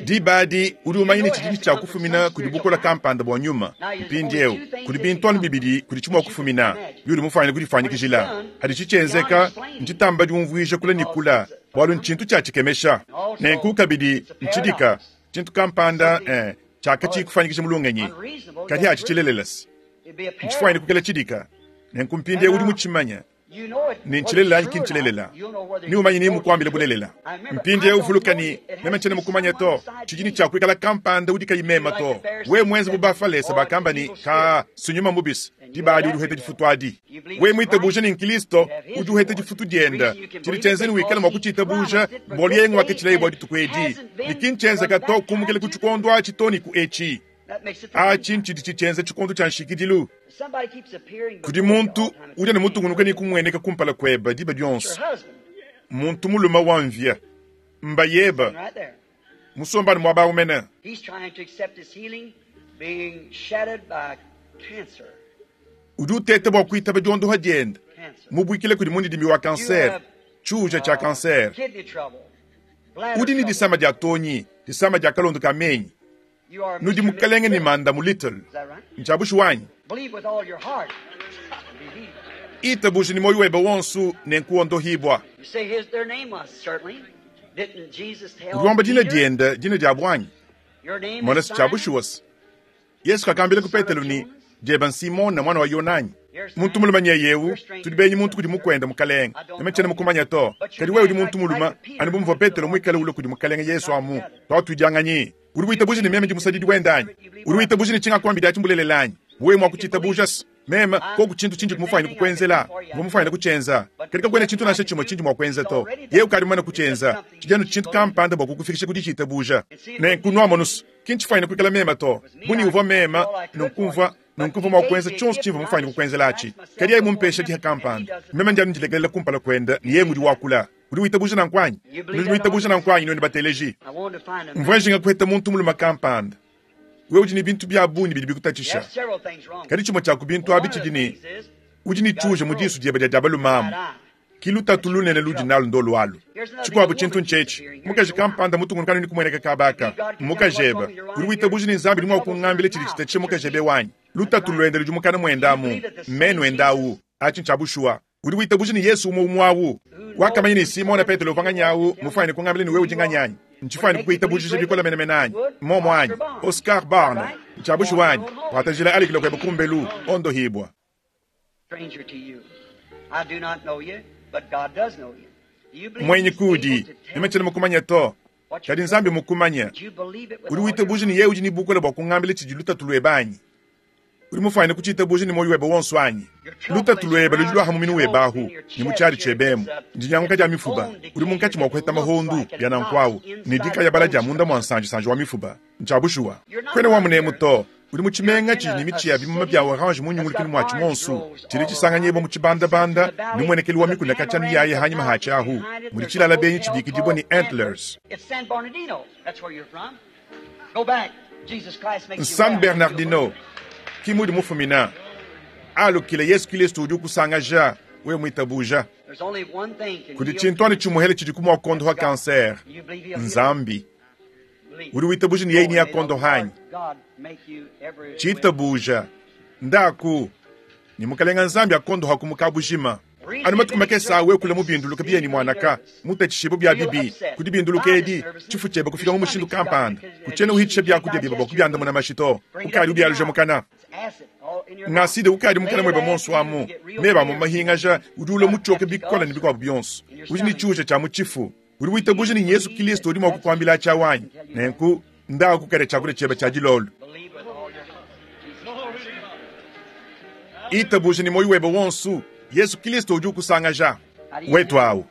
diba adi udi umanya ne tshidi tshia kufumina kudi bukole kampanda bua nyuma. Mpindieu kudi bintu anu bibidi kudi tshimua kufumina biudi mufuanyine kudifuanyikijila. Haditshi tshienzeka, ntshitamba diumvuija kule ne kule, bualu ntshintu tshia tshikemesha. Nenku kabidi ntshidika tshintu kampanda tshiakatshiyi kufuanyikija mu lungenyi, kadi atshi tshilelela se ntshifuanyine kukela tshidika. Nenku mpindieu udi mutshimanya ne ntshilelela anyi ki ntshilelela, neumanye ne mukuambile bulelela. Mpindieu vuluka ne, meme ntshiena mukumanye to, tshidi ne tshia kuikala kampanda udi kayi meme to. Wewe muenze bu Bafalese bakamba ne, Kaa, si nyuma mubi se, diba adi udi uheta difutu adi. Wewe muitabuje ne n'Kilisto, udi uheta difutu dienda. Tshidi tshienza ne wikale mua kutshitabuja mbualu yeye nguaketshilaye bua dituku edi, ne ki ntshienzeka to kumukila ku tshikondo atshi to ne ku etshi. Atshi ntshidi tshitshienza tshikondo tshia nshikidilu. Kudi muntu udi ne mutungunuka ne kumueneka kumpala kuebe diba dionso, muntu mulume wa mvia mbayeba musombane muaba au mene. Udi uteta bua kuitaba diondoha diende, mubuikile kudi mundidimbi wa kansere, tshiuja tshia kansere. Udi ne disama dia tonyi, disama dia kalondo ka menyi. Nudi mukalenge ne manda mu Little. Ntshia bushuwa anyi? Itabuje ne muoyo webe wonso nenku wondohibua. Udi wamba dina diende, dina diabu anyi? Mona se tshia bushuwa se Yesu kakambila ku Petelo ne, Dieba n'Simone muana wa Yona anyi? Muntu mulume nyeye eu, tudi benyi muntu kudi mukuende, Mukalenge. Meme tshiena mukumanye to, kadi wewe udi muntu mulume, anu bu muvua Petelo muikale ulua kudi Mukalenge Yesu amu. Tuatuidianganyi. Udi witabuja ne meme ndi musadidi wende anyi? Udi witabuja ne tshingakuambidi atshi mbulelela anyi? Wewe mua kutshitabuja se meme koku tshintu tshindi mufwanyine kukuenzela, mvua mufwanyine kutshienza, kadi kakuena tshintu nansha tshimue tshindi mua kuenza to. Yeye ukadi mumane kutshienza. Tshidi anu tshintu kampanda bua kukufikisha ku ditshitabuja. Nenku nuamonu se, ki ntshifwanyine kuikala meme to. Bu ni uvua meme, nunku mvua nunku mvua mua kuenza tshionso tshimvua mufwanyine kukuenzela atshi. Kadi yeye mumpesha diha kampanda, meme ndi anu ndilekelela kumpala kuende ne yeye ngudi wakula. Udi witabuja nanku anyi? Nudi nuitabuja nanku anyi, nuenu bateleji? Mvua njinga kuheta muntu mulume kampanda. Wewe udi ne bintu bia bungi bidi bikutatshisha, kadi tshimue tshia ku bintu abi tshidi ne, udi ne tshiuja mu disu diebe dia dia balume amu. Ki lutatu lunene ludi nalu ndolu alu. Tshikuabu tshintu ntshietshi, mukaji kampanda mutungunuka ne kumueneka kaba aka, mmukajebe. Udi witabuja ne Nzambi udi mua kungambila tshidi tshitatshisha mukajebe wanyi? Lutatu luende ludi mukana muende amu, mmenu ende awu. Atshi ntshia bushuwa. Udi witabuja ne Yesu umue umue awu wakamanya ne Simona Petelo uvua nganyi awu mufuanyine kungambila ne wewe udi nganyi anyi? Ntshifuanyine kukuitabujija bikole menemene anyi? Mmuomu anyi? Oscar Barnes, ntshia bushuwa anyi? Kuata njila alikila kuebe kumbelu, ondohibua. Muenyi kuudi, meme tshiena mukumanye to, kadi Nzambi mmukumanye. Udi witabuja ne yeye udi ne bukole bua kungambila tshidi lutatu luebe anyi? Udi mufwanyine kuciitabuuja ne mwoyi webe wonso anyi? Lutatu lwebe ludi lwaha mu minu webe ahu, ne mu cyadi cyebe emu. Ndinyanguka dya mifuba. Udi munkaci mwa kuheta mahondu, bya nanku awu, ne dikayabala dya munda mwa nsanjisanji wa mifuba. Ncya bushuwa. Kwena wa muneemu to. Udi mu cimenga cidi ne mici ya bimuma bya orange mu nyungulukilu mwaci mwonso, cidi cisanganyibwa mu cibandabanda ne mmwenekelu wa mikuna kacya miyaaya hanyima haaci ahu, mudi cilala benyi cibikidibwa ne Antlers. N'San Bernardino ki mudi mufumina. Alukila, Yesu Kilisto udi ukusangaja, wewe mwitabuja. Kudi cintu anu cimuhele cidiku mwa kuondoha cancer, n'Nzambi. Udi witabuja ne yeye neakuondoha anyi? Citabuja. Ndaku, ne Mukalenga Nzambi akuondohaku mu kabujima. Anu matuku makese aa wewe kula mu binduluka biye ne muanaka, mutacishibue bia bibi ku dibinduluka edi, tshifu tshiebe kufika mu mushindu kampanda, kutshiena uhitshisha biakudia biebe bua kubiandamuna mashi to, ukadi ubialuja mukana. Ngaside ukadi mukana muebe muonso amu, meba amue mahingaja, udi ulua mutshioke bikole ne bikuabu bionso. Udi ne tshiuja tshia mu tshifu. Udi witabuja ne Yezu Kilisto udi mua kukuambila atshi awu anyi? Nenku, ndaku kale tshiakudia tshiebe tshia dilolo. Itabuja ne muoyo webe wonso, Yezu Kilisto udi ukusangaja. Wetu awu.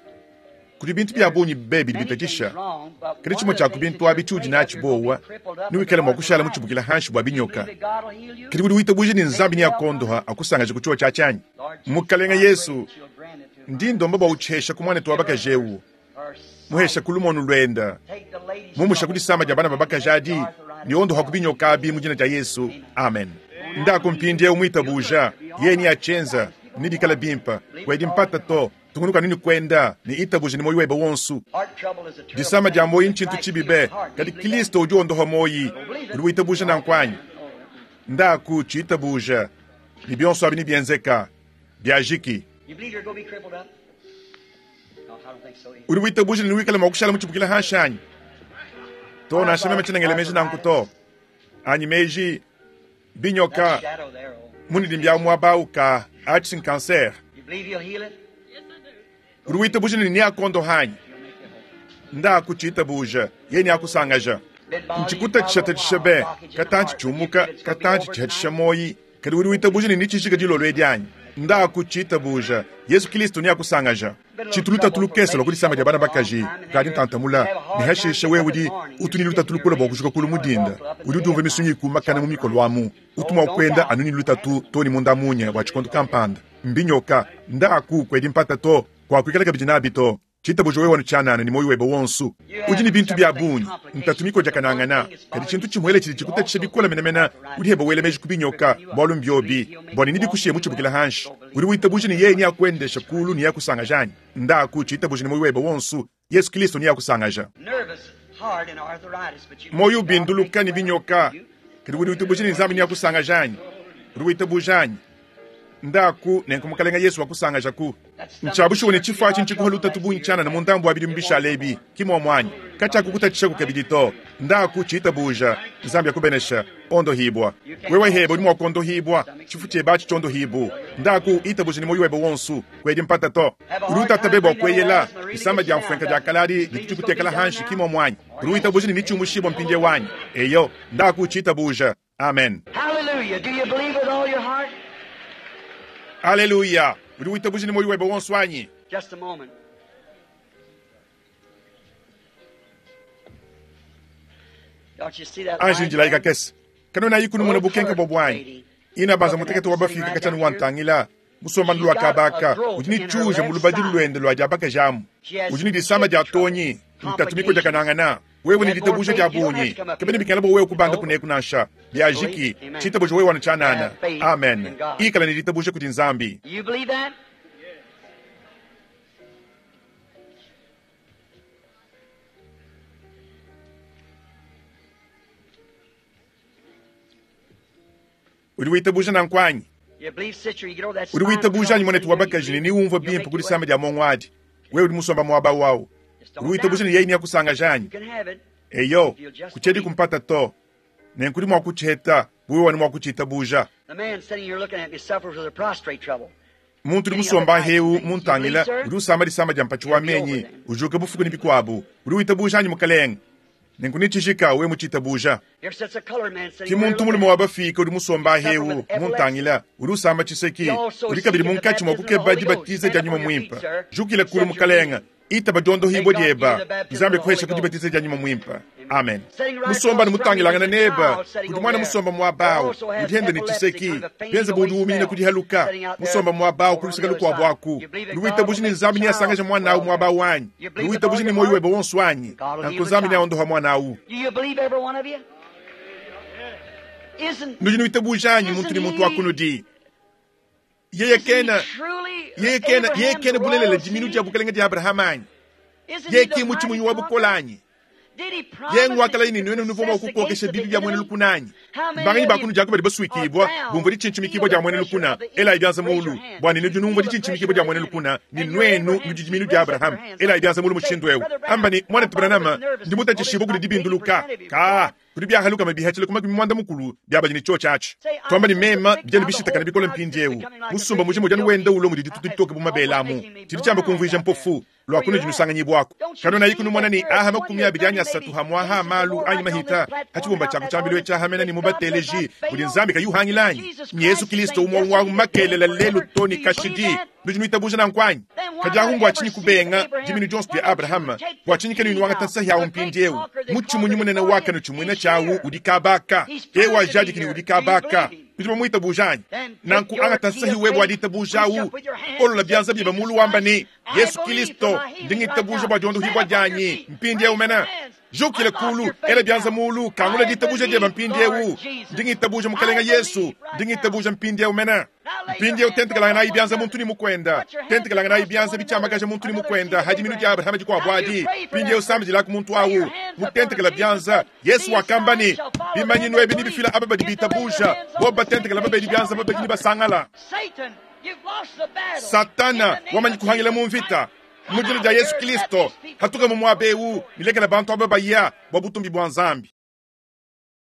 Kudi bintu bia bungi be bidi bitatshisha, kadi tshimue tshia ku bintu abi tshiudi natshi buowa, newikale mua kushala mutshibukile hanshi bua binyoka. Kadi udi witabuja ne Nzambi neakuondoha akusangaje ku tshiwa tshiatshi anyi? Mukalenga Yesu, ndi ndomba bua utshihesha ku muanetu wa bakaji eu, muhesha ku lumonu luenda, mumusha ku disama dia bana ba bakaji adi, ne ondoha ku binyoka abi mu dina dia Yesu. Amen. Ndaku mpindieu muitabuja, yeye neatshienza, nebikale bimpe. Kuedi mpata to. Tungunuka ne kuenda ne itabuja ne muoyo webe wonso. Disama dia muoyo ntshintu tshibi be, kadi Kristo udi wondoha muoyo. Udi witabuja nanku anyi? Ndaku tshitabuja, ne bionso abi nebienzeka. Biajiki. Udi witabuja ne newikale mua kushala mutshibukile hanshi anyi? To, nansha meme tshiena ngela meji nanku to. Anyi meji binyoka munidi mbia muaba au ka atshi nkanser. Udi witabuja ne neakondoha anyi? Ndaku tshitabuja, yeye neakusangaja. Ntshikutatshisha be, katantshi tshiumuka, katantshi tshihatshisha moyi. Kadi udi witabuja ne netshijika dilolo edi anyi? Ndaku tshitabuja, Yesu Kilisto neakusangaja. Tshitu lutatu lukese lua ku disama dia bana bakaji kadi ntantamula, ne hashishe wewe udi utu ne lutatu lukole bua kujuka kulu mu dinda. Udi udiumvua misunyi ikumakana mu mikolo amu. Utu mua kuenda anu ne lutatu too ne munda munya bua tshikondo kampanda. Mbinyoka. Ndaku, kuedi mpata to. Kuakuikala kabidi nabi to. Tshitabuja wewe anu tshianana ne muoyo webe wonso. Udi ne bintu bia bungi, ntatu mikodiakanangana, kadi tshintu tshimuele tshidi tshikutatshisha bikole menemene. Udi hebe wela meji ku binyoka, bualu mbiobi, bua ne nebikushiye mutshibukile hanshi. Udi witabuja ne yeye neakuendeshe kulu ne neakusangaja anyi? Ndaku, tshitabuja ne muoyo webe wonso, Yesu Kristo neakusangaja. Muoyo ubinduluka ne binyoka, kadi udi witabuja ne Nzambi neakusangaja anyi? Udi witabuja anyi? Ndaku, nenku Mukalenga Yesu wakusangajaku. Ntshia bushuwa ne tshifu atshi ntshikuha lutatu bungi tshianana mu ndambu wa bidimu bishale ebi, ki muomu anyi? Katshiakukutatshishaku kabidi to. Ndaku, tshitabuja. Nzambi akubenesha. Ondohibua. Wewe hebe udi mua kuondohibua. Tshifu tshiebe atshi tshiondohibu. Ndaku, itabuja ne muoyo webe wonso. Kuedi mpata to. Udi utata be bua kueyela. Disama dia mfuenka dia kaladi ditu dikutekela hanshi, ki muomu anyi? Udi witabuja ne netshiumushibua mpindieu anyi? Eyo. Ndaku, tshitabuja. Amen. Aleluya! Udi witabuja ne muoyo webe wonso anyi? Just a moment. Don't you see that Anji light njilayi there? kakese. Kanuena ikunumuna bukenke bua buanyi. Ina banza mutekete wa bafika katshianu wa ntangila musomba lua kabaka udi ne tshiuja mu lubadi luende lua dia bakaji amu. Udi ne disama dia tonyi, ntatu mikodiakanangana. Wewe ne ditabuja dia bungi, kabena bikengela bua wewe kubanda kuneku nansha. Biajiki, tshitabuja wewe anu tshianana. Amen. Ikala ne ditabuja kudi Nzambi. You believe that? Udi witabuja nanku anyi? You believe, sister, you get over that Udi spinal witabuja anyi trouble muanetu wa thing there, you bakaji ne believe niwumvua he'll bimpe make ku you disama well. dia mongo adi. Wewe udi musomba muaba wawu. Just Udi don't witabuja doubt. ne yeye neakusangaja anyi? You can have it. Eyo, If you'll just kutshiedi believe. kumpata to. Nenku udi mua kutshiheta, wewe wanu mua kutshitabuja. The man sitting here looking at me suffers with a prostrate trouble. Muntu udi musomba heu muntangila udi usamba disama dia mpatshi wa menyi, ujuka bufuku ne bikuabu. Udi witabuja anyi mukalenge? Nenku netshijika wewe mutshitabuja. Here sits a colored man sitting Ki over here muntu looking mulume at wa bafika udi musomba ahewu muntangila udi usamba tshiseki udi kabidi munkatshi mua kukeba dibatiza dia nyuma muimpe. Jukila kulu mukalenga itaba diondohibwa dieba Nzambi akuhesha ku dibatiza dia nyuma muimpe. Amen. Musomba ne mutangilangana neba udi mwana musomba muabawu udi henda ne tshiseki bienza budi umina kudihaluka musomba muabawu kuluseka lukuabu aku luwitabuji ne Nzambi neasangaja mwana awu muabawu anyi luwitabuji ne moyo webe wonso anyi nanku Nzambi neaondoha mwana awu. Do you believe every one of you? Isn't Nudi nuitabuja anyi muntu ne muntu wakunudi yeye kena truly yeye kena yeye Abraham's kena bulelela royal diminu seed? dia bukalenga dia Abrahama anyi Isn't yeye he the ki mutshimunyi mighty wa bukola conqueror? anyi Did he promise ye ngwakala that yini he nwenu would nuvoma possess kukokesha against the bibi bya mwene enemy? lukuna anyi How many mbanganyi of you bakunu jako badi baswikibwa are bound, bumva ditshintshimikibwa dia mwene feel the lukuna pressure of the ela ibyanza enemy? mulu Raise your hand. bwani nudi numva Feel the ditshintshimikibwa dia mwene pressure of lukuna the ni enemy. nwenu And nudi your diminu dia Abraham Abraham seed, raise ela up ibyanza mulu your hands. mushindu ewu Brother Branham, amba ni mwana I'm tubranama bothered with nervousness. ndi mutatshishibwa kudi dibinduluka Only ka kudi byahaluka mabihachile kuma mwanda mukulu byabadi ni chocho achi twamba ni mema byali bishitakana bikola mpindiewu musumba mujimo jani wenda ulo mudi ditutu ditoke bumabela amu chili chamba kumvuija mpofu lwakunu jinusanganyibwako kano nayi kunu mwana ni aha 23 hamwaha amalu anyi mahita hachibumba chako chambilwe chahamena ni mubateleji buli nzambi kayuhangilanyi ni Yesu Kristo umwa wa makelela lelu toni kashidi nujinuitabuja na nkwanyi kajahumbwa achinyi kubenga diminu jonso bya Abrahama bwachinyi kanu inuwanga tansahi yawu mpindiewu mutshimunyi munene wakanu tshimwina chawu udi kabaka ewa jadikini udi kabaka nudi bamwitabujanyi nanku anga tansahi webwa ditabujawu olola byanza byeba mulu wamba ni Yesu Kristo ndingitabuja bwa diondohibwa dyanyi mpindiewu mena jukile kulu ela byanza mulu kangula ditabuja dyeba mpindiewu ndingitabuja mukalenga Yesu ndingitabuja mpindiewu mena mpindiewu tentekalanga nayi byanza muntu ni mukwenda tentekalanga nayi byanza bichamakaja muntu ni mukwenda hadi minu dia Abrahama dikwabwadi mpindiewu sambijilaku muntu awu mutentekela byanza Yesu wakamba ni bimanyinu ebi nibifila aba badi bitabuja bo batentekela babedi byanza babedi nibasangala Satan, you've lost the battle. Satana In the name wamanyi of kuhangila Jesus mu mvita Christ, mujina dia Yesu Kristo hatuka mu mwabewu nilekela bantu aba baya bwa butumbi bwa Nzambi.